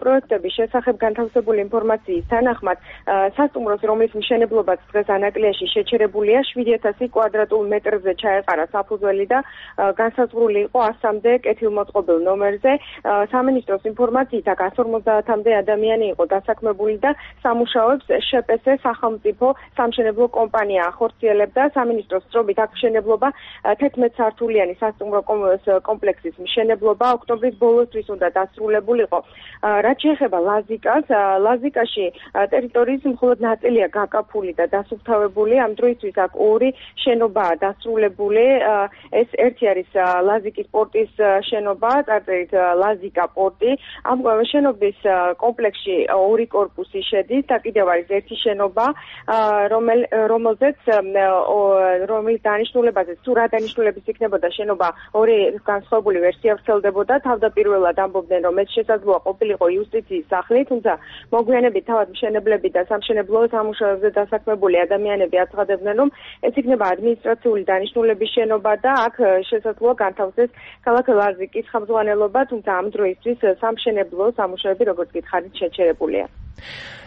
პროექტების შესახებ განთავსებული ინფორმაციის თანახმად სასტუმროს, რომლის მშენებლობაც დღეს ანაკლიაში შეჩერებულია, შვიდი ათასი კვადრატულ მეტრზე ჩაეყარა საფუძველი და განსაზღვრული იყო ასამდე კეთილმოწყობილ ნომერზე. სამინისტროს ინფორმაციით აქ εκατს ორმოცდაათამდე ადამიანი იყო დასაქმებული და სამუშაოებს შპს სახელმწიფო სამშენებლო კომპანია ახორციელებდა. სამინისტროს წრობით აქ მშენებლობა თერთმეტ სართულიანი სასტუმრო კომპლექსის მშენებლობა ოქტომბრის ბოლოსთვის უნდა დასრულებულიყო. რაც შეეხება ლაზიკას, ლაზიკაში ტერიტორიის მხოლოდ ნაწილია გაკაფული და დასუფთავებული. ამ დროისთვის აქ ორი შენობაა დასრულებული. ეს ერთი არის ლაზიკის პორტის შენობა, წარწერით ლაზიკა პორტი. ამ შენობის კომპლექსში ორი კორპუსი შედის და კიდევ არის ერთი შენობა, რომელზეც რომელიც დანიშნულებაზე თუ რა დანიშნულების იქნებოდა შენობა ორი განსხვავებული ვერსია ვრცელდებოდა. თავდაპირველად ამბობდნენ, რომ ეს შესაძლოა ყოფილიყო იუსტიციის სახლი, თუმცა მოგვიანებით თავად მშენებლები და სამშენებლო სამუშაოებზე დასაქმებული ადამიანები აცხადებდნენ, რომ ეს იქნება ადმინისტრაციული დანიშნულების შენობა და აქ შესაძლოა განთავსდეს ქალაქ ლაზიკის ხელმძღვანელობა, თუმცა ამ დროისთვის სამშენებლო სამუშაოები, როგორც გითხარით, შეჩერებულია.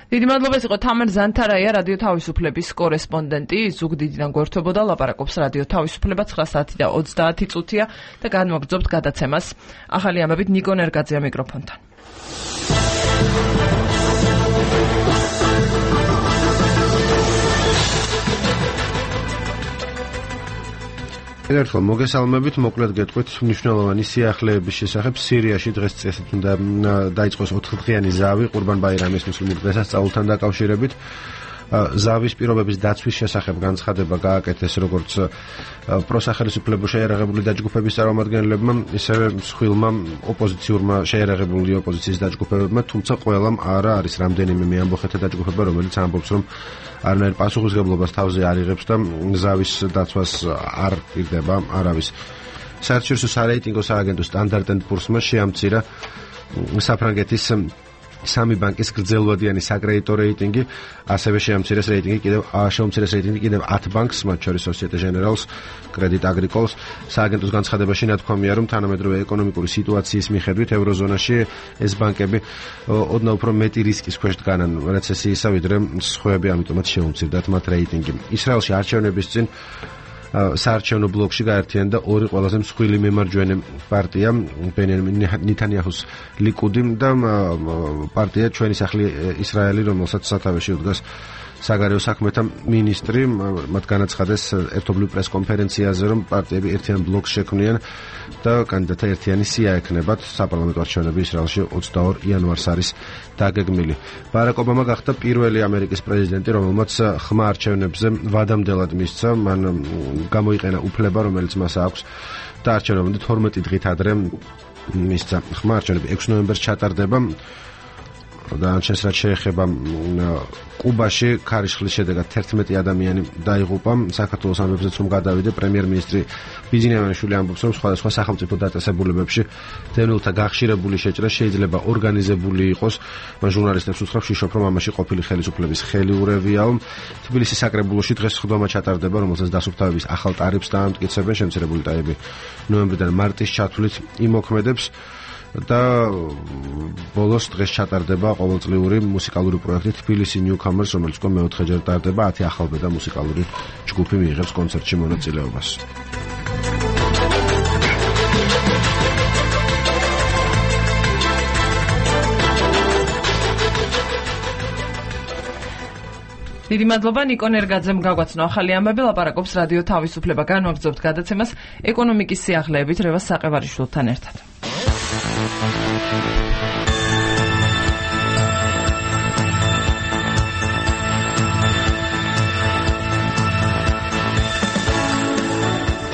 დიდი მადლობა, იყო თამარ ზანთარაია, რადიო თავისუფლების კორესპონდენტი. ზუგდიდიდან გვერდებოდა, ლაპარაკობს რადიო თავისუფლება, ცხრა საათი და ოცდაათი წუთია და განმოგრძობთ გადაცემას. ახალი ამბებით ნიკო ნერგაძეა მიკროფონთან.
ერთხელ მოგესალმებით, მოკლედ გეტყვით მნიშვნელოვანი სიახლეების შესახებ. სირიაში დღეს წესით უნდა დაიწყოს ოთხდღიანი ზავი ყურბან-ბაირამის მუსლიმურ დღესასწაულთან დაკავშირებით. ზავის პირობების დაცვის შესახებ განცხადება გააკეთეს როგორც პროსახელისუფლებო შეიარაღებული დაჯგუფების წარმომადგენლებმა, ისევე მსხვილმა ოპოზიციურმა შეიარაღებული ოპოზიციის დაჯგუფებებმა, თუმცა ყველამ არა არის რამდენიმე მეამბოხეთა დაჯგუფება, რომელიც ამბობს, რომ არანაირ პასუხისმგებლობას თავზე არ იღებს და ზავის დაცვას არ იღდება არავის. საერთაშორისო სარეიტინგო სააგენტო სტანდარტ ენდ პურსმა შეამცირა საფრანგეთის სამი ბანკის გრძელვადიანი საკრედიტო რეიტინგი, ასევე შეამცირეს რეიტინგი კიდევ შეამცირეს რეიტინგი კიდევ ათ ბანკს, მათ შორის Societe Generale-ს, Credit Agricole-ს. სააგენტოს განცხადებაში ნათქვამია, რომ თანამედროვე ეკონომიკური სიტუაციის მიხედვით ევროზონაში ეს ბანკები ოდნავ უფრო მეტი რისკის ქვეშ დგანან რეცესიისა, ვიდრე სხვაები, ამიტომაც შეუმცირდათ მათ რეიტინგი. ისრაელში არჩევნების წინ საარჩევნო ბლოკში გაერთიანდა ორი ყველაზე მსხვილი მემარჯვენე პარტია, ბენიამინ ნეთანიაჰუს ლიკუდი და პარტია ჩვენი სახლი ისრაელი, რომელსაც სათავეში უდგას საგარეო საქმეთა მინისტრი. მათ განაცხადეს ერთობლივ პრესკონფერენციაზე, რომ პარტიები ერთიან ბლოკს შექმნიან და კანდიდატთა ერთიანი სია ექნებათ. საპარლამენტო არჩევნები ისრაელში ოცდაორ იანვარს არის დაგეგმილი. ბარაკ ობამა გახდა პირველი ამერიკის პრეზიდენტი, რომელმაც ხმა არჩევნებზე ვადამდელად მისცა. მან გამოიყენა უფლება, რომელიც მას აქვს და არჩევნებამდე თორმეტი დღით ადრე მისცა. ხმა არჩევნები ექვსი ნოემბერს ჩატარდება. და ანჩეს რაც შეეხება კუბაში ქარიშხლის შედეგად თერთმეტი ადამიანი დაიღუპა. საქართველოს ამბებზეც რომ გადავიდე, პრემიერ-მინისტრი ბიძინეევანიშვილი ამბობს, რომ სხვადასხვა სახელმწიფო დაწესებულებებში დევნილთა გახშირებული შეჭრა შეიძლება ორგანიზებული იყოს. მან ჟურნალისტებს უთხრა, შიშობ, რომ ამაში ყოფილი ხელისუფლების ხელი ურევიაო. თბილისის საკრებულოში დღეს სხდომა ჩატარდება, რომელსაც დასუფთავების ახალ ტარიფს დაამტკიცებენ. შემცირებული ტარიფი ნოემბრიდან მარტის ჩათვლით იმოქმედებს. და ბოლოს დღეს ჩატარდება ყოველწლიური მუსიკალური პროექტი თბილისი ნიუქამერს, რომელიც უკვე მეოთხეჯერ ტარდება. ათი ახალბედა მუსიკალური ჯგუფი მიიღებს კონცერტში მონაწილეობას.
დიდი მადლობა ნიკო ნერგაძემ გაგვაცნო ახალი ამბები, ლაპარაკობს რადიო თავისუფლება. განვაგრძობთ გადაცემას ეკონომიკის სიახლეებით რევას საყევარიშვილთან ერთად.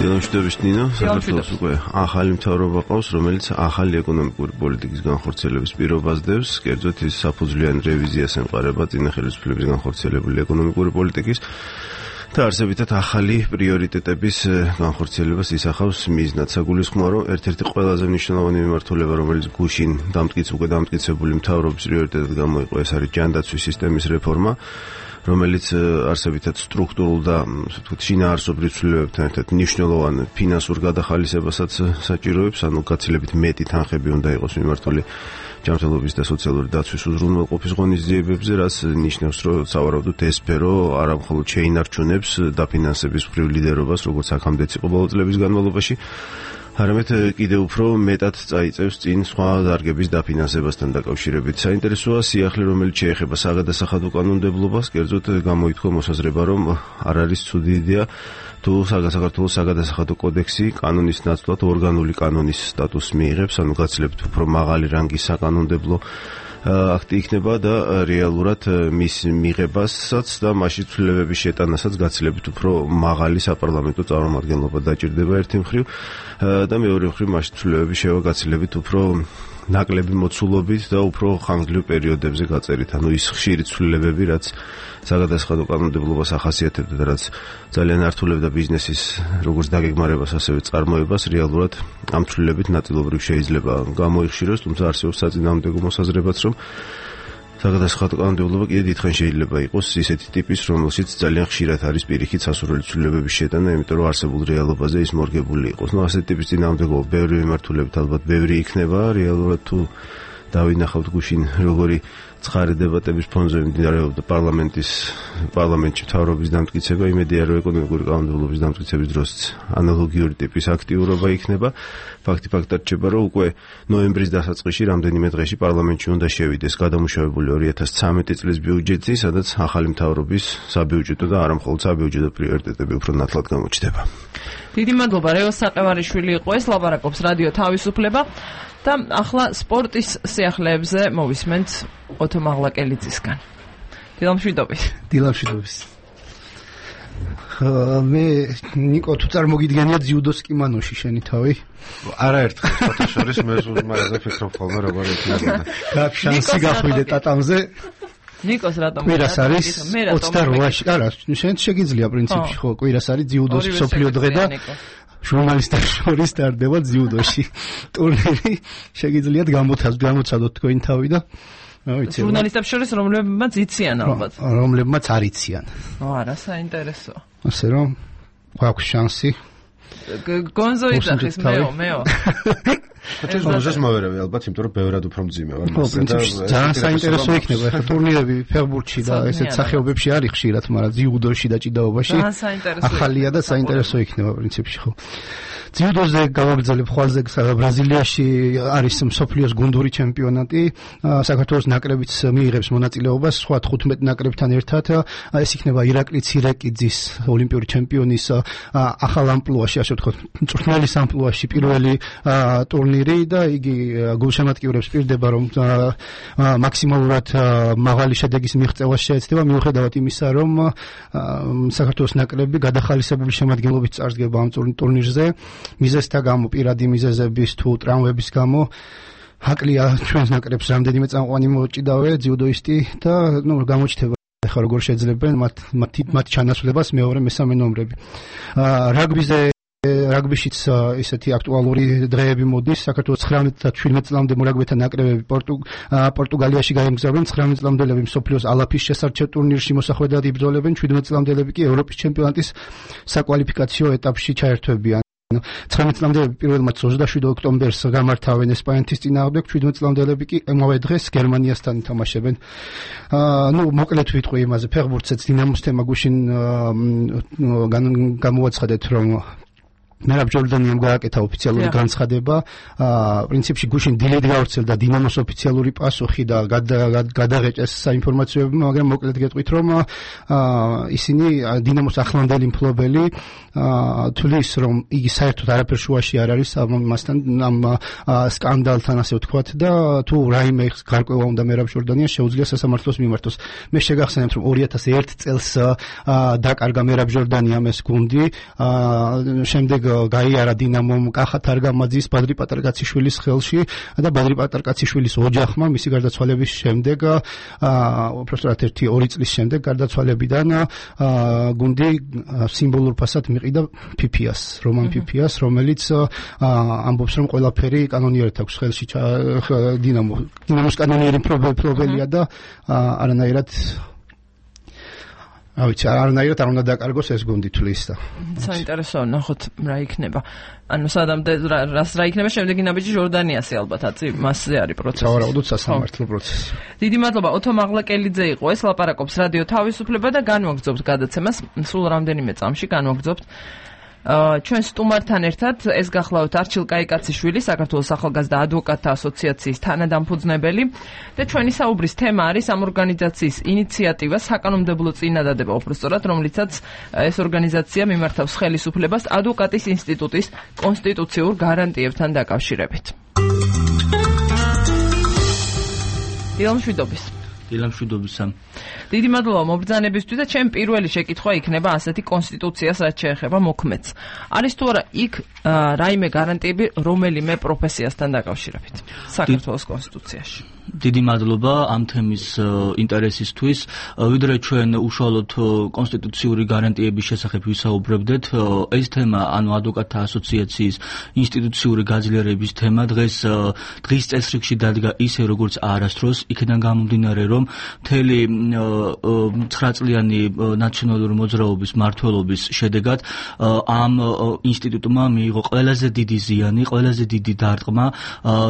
დილამშვიდობის ნინო, საქართველოს უკვე ახალი მთავრობა ყავს, რომელიც ახალი ეკონომიკური პოლიტიკის განხორციელების პირობას დევს, კერძოდ ის საფუძვლიანი რევიზიას ემყარება წინა ხელისუფლების განხორციელებული ეკონომიკური პოლიტიკის. და არსებითად ახალი პრიორიტეტების განხორციელებას ისახავს მიზნად. საგულისხმოა, რომ ერთ-ერთი ყველაზე მნიშვნელოვანი მიმართულება, რომელიც გუშინ დამტკიც უკვე დამტკიცებული მთავრობის პრიორიტეტად გამოიყო, ეს არის ჯანდაცვის სისტემის რეფორმა, რომელიც არსებითად სტრუქტურულ და ვთქვით შინაარსობრივ ცვლილებებთან ერთად მნიშვნელოვან ფინანსურ გადახალისებასაც საჭიროებს, ანუ გაცილებით მეტი თანხები უნდა იყოს მიმართული ჯანმრთელობის და სოციალური დაცვის უზრუნველყოფის ღონისძიებებზე, რაც ნიშნავს, რომ სავარაუდოდ ეს სფერო არა მხოლოდ შეინარჩუნებს დაფინანსების მხრივ ლიდერობას, როგორც აქამდეც იყო ბოლო წლების განმავლობაში, არამედ კიდევ უფრო მეტად წაიწევს წინ სხვა დარგების დაფინანსებასთან დაკავშირებით. საინტერესოა სიახლე, რომელიც შეეხება საგადასახადო კანონმდებლობას, კერძოდ გამოითქვა მოსაზრება, რომ არ არის ცუდი იდეა თუ საქართველოს საგადასახადო კოდექსი კანონის ნაცვლად ორგანული კანონის სტატუსს მიიღებს, ანუ გაცილებით უფრო მაღალი რანგის საკანონმდებლო აქტი იქნება და რეალურად მის მიღებასაც და მასში ცვლილებების შეტანასაც გაცილებით უფრო მაღალი საპარლამენტო წარმომადგენლობა დაჭირდება ერთი მხრივ და მეორე მხრივ მასში ცვლილებების შევა გაცილებით უფრო ნაკლები მოცულობით და უფრო ხანგრძლივ პერიოდებზე გაწერით. ანუ ის ხშირი ცვლილებები, რაც საგადასახადო კანონმდებლობას ახასიათებდა და რაც ძალიან ართულებდა ბიზნესის როგორც დაგეგმარებას, ასევე წარმოებას, რეალურად ამ ცვლილებით ნაწილობრივ შეიძლება გამოიხშიროს, თუმცა არსებობს საწინააღმდეგო მოსაზრებაც, რომ საგადასახადო კანონმდებლობა კიდევ დიდხანს შეიძლება იყოს ისეთი ტიპის, რომელშიც ძალიან ხშირად არის პირიქით სასურველი ცვლილებების შეტანა, იმიტომ რომ არსებულ რეალობაზე ის მორგებული იყოს. ნუ ასეთი ტიპის წინააღმდეგობა ბევრი მიმართულებით ალბათ ბევრი იქნება, რეალურად თუ დავინახავთ გუშინ როგორი ცხარი დებატების ფონზე მიმდინარეობდა პარლამენტის პარლამენტში მთავრობის დამტკიცება, იმედია რომ ეკონომიკური კანონმდებლობის დამტკიცების დროს ანალოგიური ტიპის აქტიურობა იქნება. ფაქტი ფაქტად რჩება, რომ უკვე ნოემბრის დასაწყისში რამდენიმე დღეში პარლამენტში უნდა შევიდეს გადამუშავებული ორი ათას ცხრამეტი წლის ბიუჯეტი, სადაც ახალი მთავრობის საბიუჯეტო და არა მხოლოდ საბიუჯეტო პრიორიტეტები უფრო ნათლად გამოჩნდება.
დიდი მადლობა, რეო საყევარიშვილი იყო ეს, ლაპარაკობს რადიო თავისუფლება და ახლა სპორტის სიახლეებზე მოვისმენთ ოთო მაღლაკელიძისგან. დილამშვიდობის.
დილამშვიდობის. მე ნიკო თუ წარმოგიდგენია ძიუდოს კიმანოში შენი თავი?
არაერთხელ ფოტოშორის მე ზუსტად ფიქრობ ხოლმე როგორ იქნება.
გაქ შანსი გახვიდე ტატამზე.
ნიკოს რატომ?
კვირას არის ოცდაოთხში. არა, შენ შეგიძლია პრინციპში ხო, კვირას არის ძიუდოს სოფლიო დღე და ჟურნალისტებს შორის ტარდება ძიუდოში ტურნირი. შეგიძლიათ გამოცადოთ თქვენი თავი და ვიცი.
ჟურნალისტებს შორის რომლებმაც იციან ალბათ.
რომლებმაც არ იციან.
ო, არა, საინტერესო.
ასე რომ გვაქვს შანსი.
გონზო იძახის მეო, მეო.
ხოჭის მოზეს მოვერავე ალბათ, იმიტომ რომ ბევრად უფრო მძიმე ვარ მასე და
ძალიან საინტერესო იქნება ახლა ტურნირები ფეხბურთში და ესეთ სახეობებში არის ხშირად, მაგრამ ძიუდოში და ჭიდაობაში ახალია და საინტერესო იქნება პრინციპში ხო. ძიუდოზე გავაგრძელებ ხვალზე ბრაზილიაში არის მსოფლიოს გუნდური ჩემპიონატი, საქართველოს ნაკრებიც მიიღებს მონაწილეობას სხვა თხუთმეტ ნაკრებთან ერთად. ეს იქნება ირაკლი ცირეკიძის ოლიმპიური ჩემპიონის ახალ ამპლუაში, ასე ვთქვათ, მწვრთნელის ამპლუაში პირველი ტურნირი და იგი გულშემატკივრებს პირდება, რომ მაქსიმალურად მაღალი შედეგის მიღწევას შეეცდება, მიუხედავად იმისა, რომ საქართველოს ნაკრები გადახალისებული შემადგენლობით წარსდგება ამ ტურნირზე. მიზეზთა გამო, პირადი მიზეზების თუ ტრამვების გამო აკლია ჩვენს ნაკრებს რამდენიმე წამყვანი მოჭიდავე ძიუდოისტი და ნუ გამოჩნდება ახლა როგორ შეძლებენ მათ მათ ჩანაცვლებას მეორე მესამე ნომრები. რაგბიზე რაგბიშიც ისეთი აქტუალური დღეები მოდის. საქართველოს ცხრამეტ და შვიდმეტ წლამდე მორაგბეთა ნაკრებები პორტუგალიაში გაემგზავრნენ. ცხრამეტ წლამდელები მსოფლიოს ალაფის შესარჩევ ტურნირში მოსახვედრად იბრძოლებენ. შვიდმეტ წლამდელები კი ევროპის ჩემპიონატის საკვალიფიკაციო ეტაპში ჩაერთვებიან. ცხრამეტ წლამდელები პირველმაც ოცდაშვიდ ოქტომბერს გამართავენ ესპანეთის წინააღმდეგ, შვიდმეტ წლამდელები კი ამავე დღეს გერმანიასთან ითამაშებენ. ნუ მოკლედ ვიტყვი იმაზე, ფეხბურთსაც დინამოს თემა გუშინ გამოვაცხადეთ, რომ მერაბ ჯორდანიამ გააკეთა ოფიციალური განცხადება. პრინციპში გუშინ დილით გავრცელდა დინამოს ოფიციალური პასუხი და გადაღეჭეს საინფორმაციოები, მაგრამ მოკლედ გეტყვით, რომ ისინი დინამოს ახლანდელი მფლობელი თვლის, რომ იგი საერთოდ არაფერ შუაში არ არის ამასთან, ამ სკანდალთან, ასე ვთქვათ და თუ რაიმე გარკვევა უნდა მერაბ ჯორდანიას შეუძლია სასამართლოს მიმართოს. მე შეგახსენებთ, რომ ორი ათას ერთ წელს დაკარგა მერაბ ჯორდანიამ ეს გუნდი, შემდეგ გაიარა დინამომ კახა თარგამაძის ბადრი პატარკაციშვილის ხელში და ბადრი პატარკაციშვილის ოჯახმა მისი გარდაცვალების შემდეგ უბრალოდ ერთი ორი წლის შემდეგ გარდაცვალებიდან გუნდი სიმბოლურ ფასად მიყიდა ფიფიას, რომან ფიფიას, რომელიც ამბობს რომ ყველაფერი კანონიერად აქვს ხელში დინამო დინამოს კანონიერი პრობლემია და არანაირად ავიცი არანაირად არ უნდა დაკარგოს ეს გუნდი თulis და
საინტერესოა ნახოთ რა იქნება ანუ სადამდე რას რა იქნება შემდეგი ნაბიჯი ჟორდანიასი ალბათ აწი მასზე არის პროცესი
სავარაუდოდ სასამართლო პროცესი
დიდი მადლობა ოთო მაღლაკელიძე იყო ეს ლაპარაკობს რადიო თავისუფლება და განვაგრძობთ გადაცემას სულ რამდენიმე წამში განვაგრძობთ ჩვენ სტუმართან ერთად ეს გახლავთ არჩილ კაიკაციშვილი საქართველოს ახალგაზრდა ადვოკატთა ასოციაციის თანადამფუძნებელი და ჩვენი საუბრის თემა არის ამ ორგანიზაციის ინიციატივა საკანონმდებლო წინადადება უბრალოდ რომლითაც ეს ორგანიზაცია მიმართავს ხელისუფლებას ადვოკატის ინსტიტუტის კონსტიტუციურ გარანტიებთან დაკავშირებით. დილამშვიდობის
დილამშვიდობისა.
დიდი მადლობა მობრძანებისთვის და ჩემ პირველი შეკითხვა იქნება ასეთი კონსტიტუციას რაც შეეხება მოქმედს. არის თუ არა იქ რაიმე გარანტიები რომელიმე პროფესიასთან დაკავშირებით საქართველოს კონსტიტუციაში?
დიდი მადლობა ამ თემის ინტერესისთვის. ვიდრე ჩვენ უშუალოდ კონსტიტუციური გარანტიების შესახებ ვისაუბრებდეთ, ეს თემა, ანუ ადვოკატთა ასოციაციის ინსტიტუციური გაძლიერების თემა დღეს დღის წესრიგში დადგა ისე როგორც არასდროს, იქიდან გამომდინარე რომ მთელი ცხრა წლიანი ნაციონალური მოძრაობის მმართველობის შედეგად ამ ინსტიტუტმა მიიღო ყველაზე დიდი ზიანი, ყველაზე დიდი დარტყმა,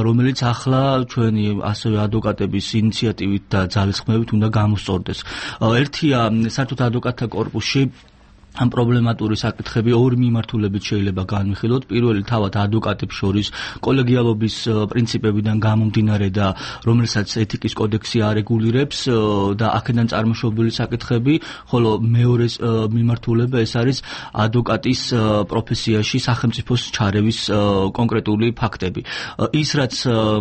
რომელიც ახლა ჩვენი ასევე ადვოკატების ინიციატივით და ძალისხმევით უნდა გამოსწორდეს. ერთია საერთოდ ადვოკატთა კორპუსში ამ პრობლემატური საკითხები ორი მიმართულებით შეიძლება განვიხილოთ. პირველი თავად ადვოკატებს შორის კოლეგიალობის პრინციპებიდან გამომდინარე და რომელსაც ეთიკის კოდექსი არეგულირებს და აქედან წარმოშობილი საკითხები, ხოლო მეორე მიმართულება ეს არის ადვოკატის პროფესიაში სახელმწიფოს ჩარევის კონკრეტული ფაქტები. ის რაც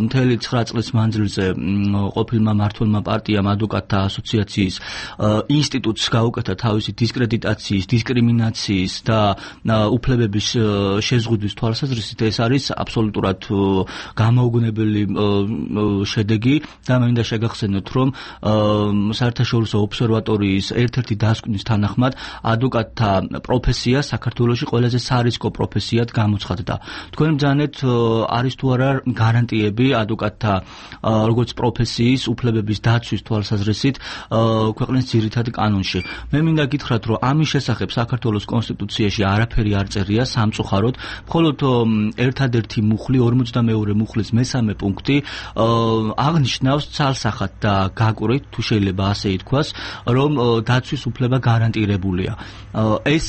მთელი ცხრა წლის მანძილზე ყოფილმა მმართველმა პარტიამ ადვოკატთა ასოციაციის ინსტიტუტს გაუკეთა თავისი დისკრედიტაციის დისკრიმინაციის და უფლებების შეზღუდვის თვალსაზრისით ეს არის აბსოლუტურად გამოუგნებელი შედეგი და მე მინდა შეგახსენოთ რომ საერთაშორისო ობსერვატორიის ერთ-ერთი დასკვნის თანახმად ადვოკატთა პროფესია საქართველოში ყველაზე სარისკო პროფესიად გამოცხადდა. თქვენ ბრძანეთ არის თუ არა გარანტიები ადვოკატთა როგორც პროფესიის უფლებების დაცვის თვალსაზრისით ქვეყნის ძირითად კანონში. მე მინდა გითხრათ რომ ამის შესახებ საქართველოს კონსტიტუციაში არაფერი არ წერია სამწუხაროდ, მხოლოდ ერთადერთი მუხლი ორმოცდამეორე მუხლის მესამე პუნქტი აღნიშნავს ცალსახად და გაკვრით, თუ შეიძლება ასე ითქვას, რომ დაცვის უფლება გარანტირებულია. ეს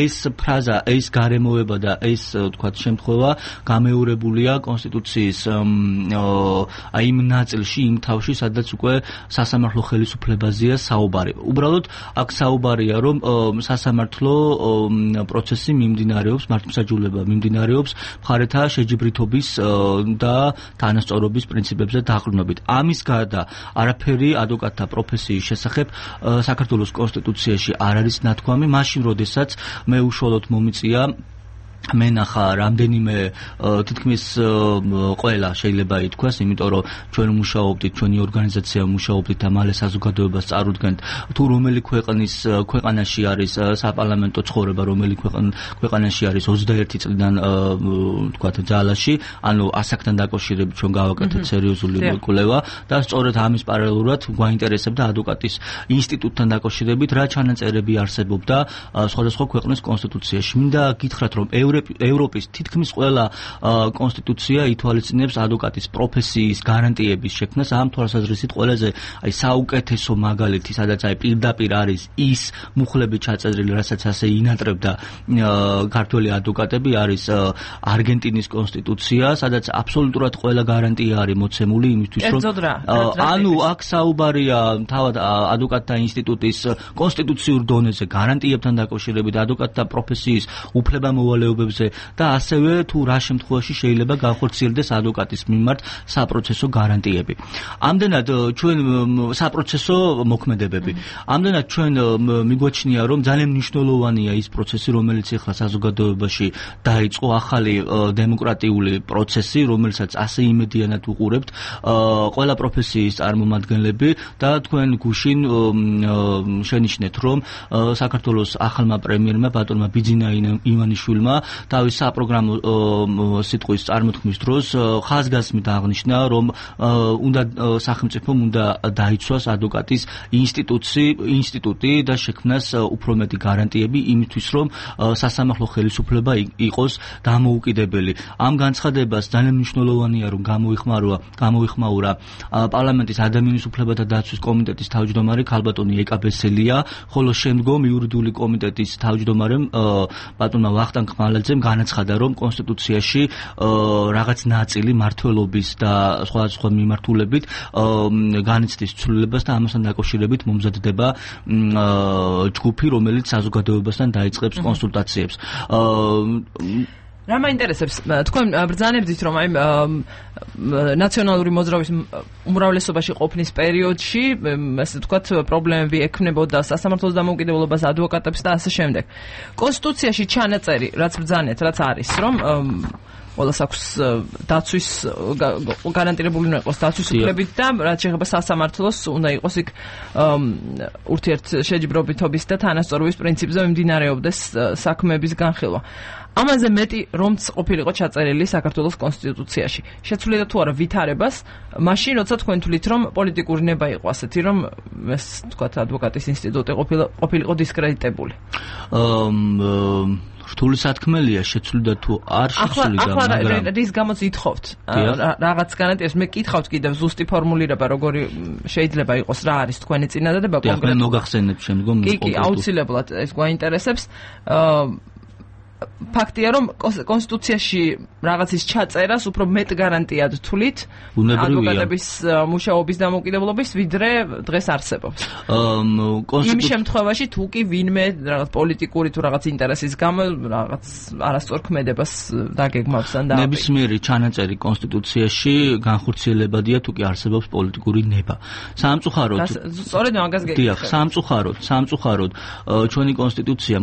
ეს ფრაზა, ეს გარემოება და ეს თქვათ შემთხვევა გამეორებულია კონსტიტუციის აი იმ ნაწილში, იმ თავში, სადაც უკვე სასამართლო ხელისუფლებაზეა საუბარი. უბრალოდ აქ საუბარია რომ სასამართლო პროცესი მიმდინარეობს, მართლმსაჯულება მიმდინარეობს მხარეთა შეჯიბრითობის და თანასწორობის პრინციპებზე დაყრდნობით. ამის გარდა არაფერი ადვოკატთა პროფესიის შესახებ საქართველოს კონსტიტუციაში არ არის ნათქვამი, მაშინ როდესაც მე უშუალოდ მომიწია მენახა რამდენიმე თითქმის ყველა შეიძლება ითქვას, იმიტომ რომ ჩვენ მუშაობდით, ჩვენი ორგანიზაცია მუშაობდით და მალე საზოგადოებას წარუდგენთ, თუ რომელი ქვეყნის ქვეყანაში არის საპარლამენტო ცხოვრება, რომელი ქვეყანაში არის ოცდაერთი წლიდან თქვათ ძალაში, ანუ ასაკთან დაკავშირებით ჩვენ გავაკეთეთ სერიოზული კვლევა და სწორედ ამის პარალელურად გვაინტერესებდა ადვოკატის ინსტიტუტთან დაკავშირებით რა ჩანაწერები არსებობდა სხვადასხვა ქვეყნის კონსტიტუციაში. მინდა გითხრათ რომ ევროპის თითქმის ყველა კონსტიტუცია ითვალისწინებს ადვოკატის პროფესიის გარანტიების შექმნას. ამ თვალსაზრისით ყველაზე აი საუკეთესო მაგალითი, სადაც აი პირდაპირ არის ის მუხლები ჩაწერილი, რასაც ასე ინატრებდა ქართველი ადვოკატები, არის არგენტინის კონსტიტუცია, სადაც აბსოლუტურად ყველა გარანტია არის მოცემული იმისთვის, რომ ანუ აქ საუბარია თავად ადვოკატთა ინსტიტუტის კონსტიტუციურ დონეზე გარანტიებთან დაკავშირებით, ადვოკატთა პროფესიის უფლება-მოვალეობების დადასტურებებზე და ასევე თუ რა შემთხვევაში შეიძლება განხორციელდეს ადვოკატის მიმართ საპროცესო გარანტიები. ამდენად ჩვენ საპროცესო მოქმედებები. ამდენად ჩვენ მიგვაჩნია რომ ძალიან მნიშვნელოვანია ის პროცესი, რომელიც ახლა საზოგადოებაში დაიწყო, ახალი დემოკრატიული პროცესი, რომელსაც ასე იმედიანად უყურებთ ყველა პროფესიის წარმომადგენლები და თქვენ გუშინ შენიშნეთ, რომ საქართველოს ახალმა პრემიერმა ბატონმა ბიძინა ივანიშვილმა თავის საპროგრამო სიტყვის წარმოთქმის დროს ხაზგასმით აღნიშნა, რომ უნდა სახელმწიფომ უნდა დაიცვას ადვოკატის ინსტიტუცი, ინსტიტუტი და შექმნას უფრო მეტი გარანტიები იმისთვის, რომ სასამართლო ხელისუფლება იყოს დამოუკიდებელი. ამ განცხადებას ძალიან მნიშვნელოვანია, რომ გამოიხმაურა, გამოიხმაურა პარლამენტის ადამიანის უფლებათა დაცვის კომიტეტის თავმჯდომარე ქალბატონი ეკა ბესელია, ხოლო შემდგომ იურიდიული კომიტეტის თავმჯდომარემ ბატონმა ვახტანგ ხმალაძემ განაცხადა, რომ კონსტიტუციაში რაღაც ნაწილი მმართველობის და სხვადასხვა მიმართულებით განიცდის ცვლილებას და ამასთან დაკავშირებით მომზადდება ჯგუფი, რომელიც საზოგადოებასთან დაიწყებს კონსულტაციებს.
რა მაინტერესებს თქვენ ბრძანებდით, რომ აი ნაციონალური მოძრაობის უმრავლესობაში ყოფნის პერიოდში ასე ვთქვათ პრობლემები ექნებოდა სასამართლოს დამოუკიდებლობას, ადვოკატებს და ასე შემდეგ. კონსტიტუციაში ჩანაწერი, რაც ბრძანეთ, რაც არის, რომ ყველას აქვს დაცვის გარანტირებული უნდა იყოს დაცვის უფლებით და რაც შეეხება სასამართლოს უნდა იყოს იქ ურთიერთშეჯიბრობითობის და თანასწორობის პრინციპზე მიმდინარეობდეს საქმეების განხილვა. ამაზე მეტი რომც ყოფილიყო ჩაწერილი საქართველოს კონსტიტუციაში. შეცვლიდა თუ არა ვითარებას, მაშინ როცა თქვენ თვლით, რომ პოლიტიკური ნება იყო ასეთი, რომ ეს თქვათ ადვოკატის ინსტიტუტი ყოფილიყო დისკრედიტებული.
რთული სათქმელია, შეცვლიდა თუ არ შეცვლიდა,
მაგრამ ახლა რის გამოც ითხოვთ რაღაც გარანტიას, მე კითხავთ კიდევ ზუსტი ფორმულირება, როგორი შეიძლება იყოს, რა არის თქვენი წინადადება
კონკრეტულად. მე მოგახსენებ შემდგომ
კი, კი, აუცილებლად ეს გვაინტერესებს. ფაქტია, რომ კონსტიტუციაში რაღაცის ჩაწერას უფრო მეტ გარანტიად თვლით ადვოკატების მუშაობის დამოუკიდებლობის, ვიდრე დღეს არსებობს. იმ შემთხვევაში თუ კი ვინმე რაღაც პოლიტიკური თუ რაღაც ინტერესის გამო რაღაც არასწორ ქმედებას დაგეგმავს ან და
ნებისმიერი ჩანაწერი კონსტიტუციაში განხორციელებადია თუ კი არსებობს პოლიტიკური ნება. სამწუხაროდ
სწორედ მაგას გეკითხეთ.
დიახ, სამწუხაროდ, სამწუხაროდ ჩვენი კონსტიტუცია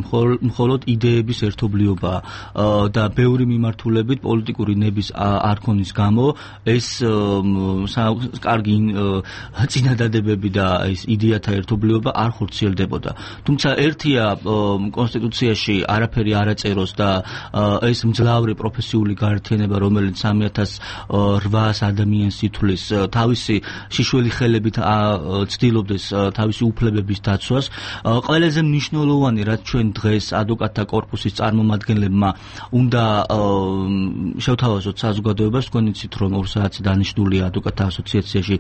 მხოლოდ იდეების ერთობლიობა და ბევრი მიმართულებით პოლიტიკური ნების არქონის გამო ეს კარგი წინადადებები და ეს იდეათა ერთობლიობა არ ხორციელდებოდა. თუმცა ერთია კონსტიტუციაში არაფერი არ აწეროს და ეს მძლავრი პროფესიული გაერთიანება, რომელიც სამი ათას რვას ადამიანს ითვლის, თავისი შიშველი ხელებით ცდილობდეს თავისი უფლებების დაცვას. ყველაზე მნიშვნელოვანი, რაც ჩვენ დღეს ადვოკატთა კორპუსის წარმომადგენლებმა უნდა შევთავაზოთ საზოგადოებას, თქვენ იცით, რომ ორ საათზე დანიშნულია ადვოკატთა ასოციაციაში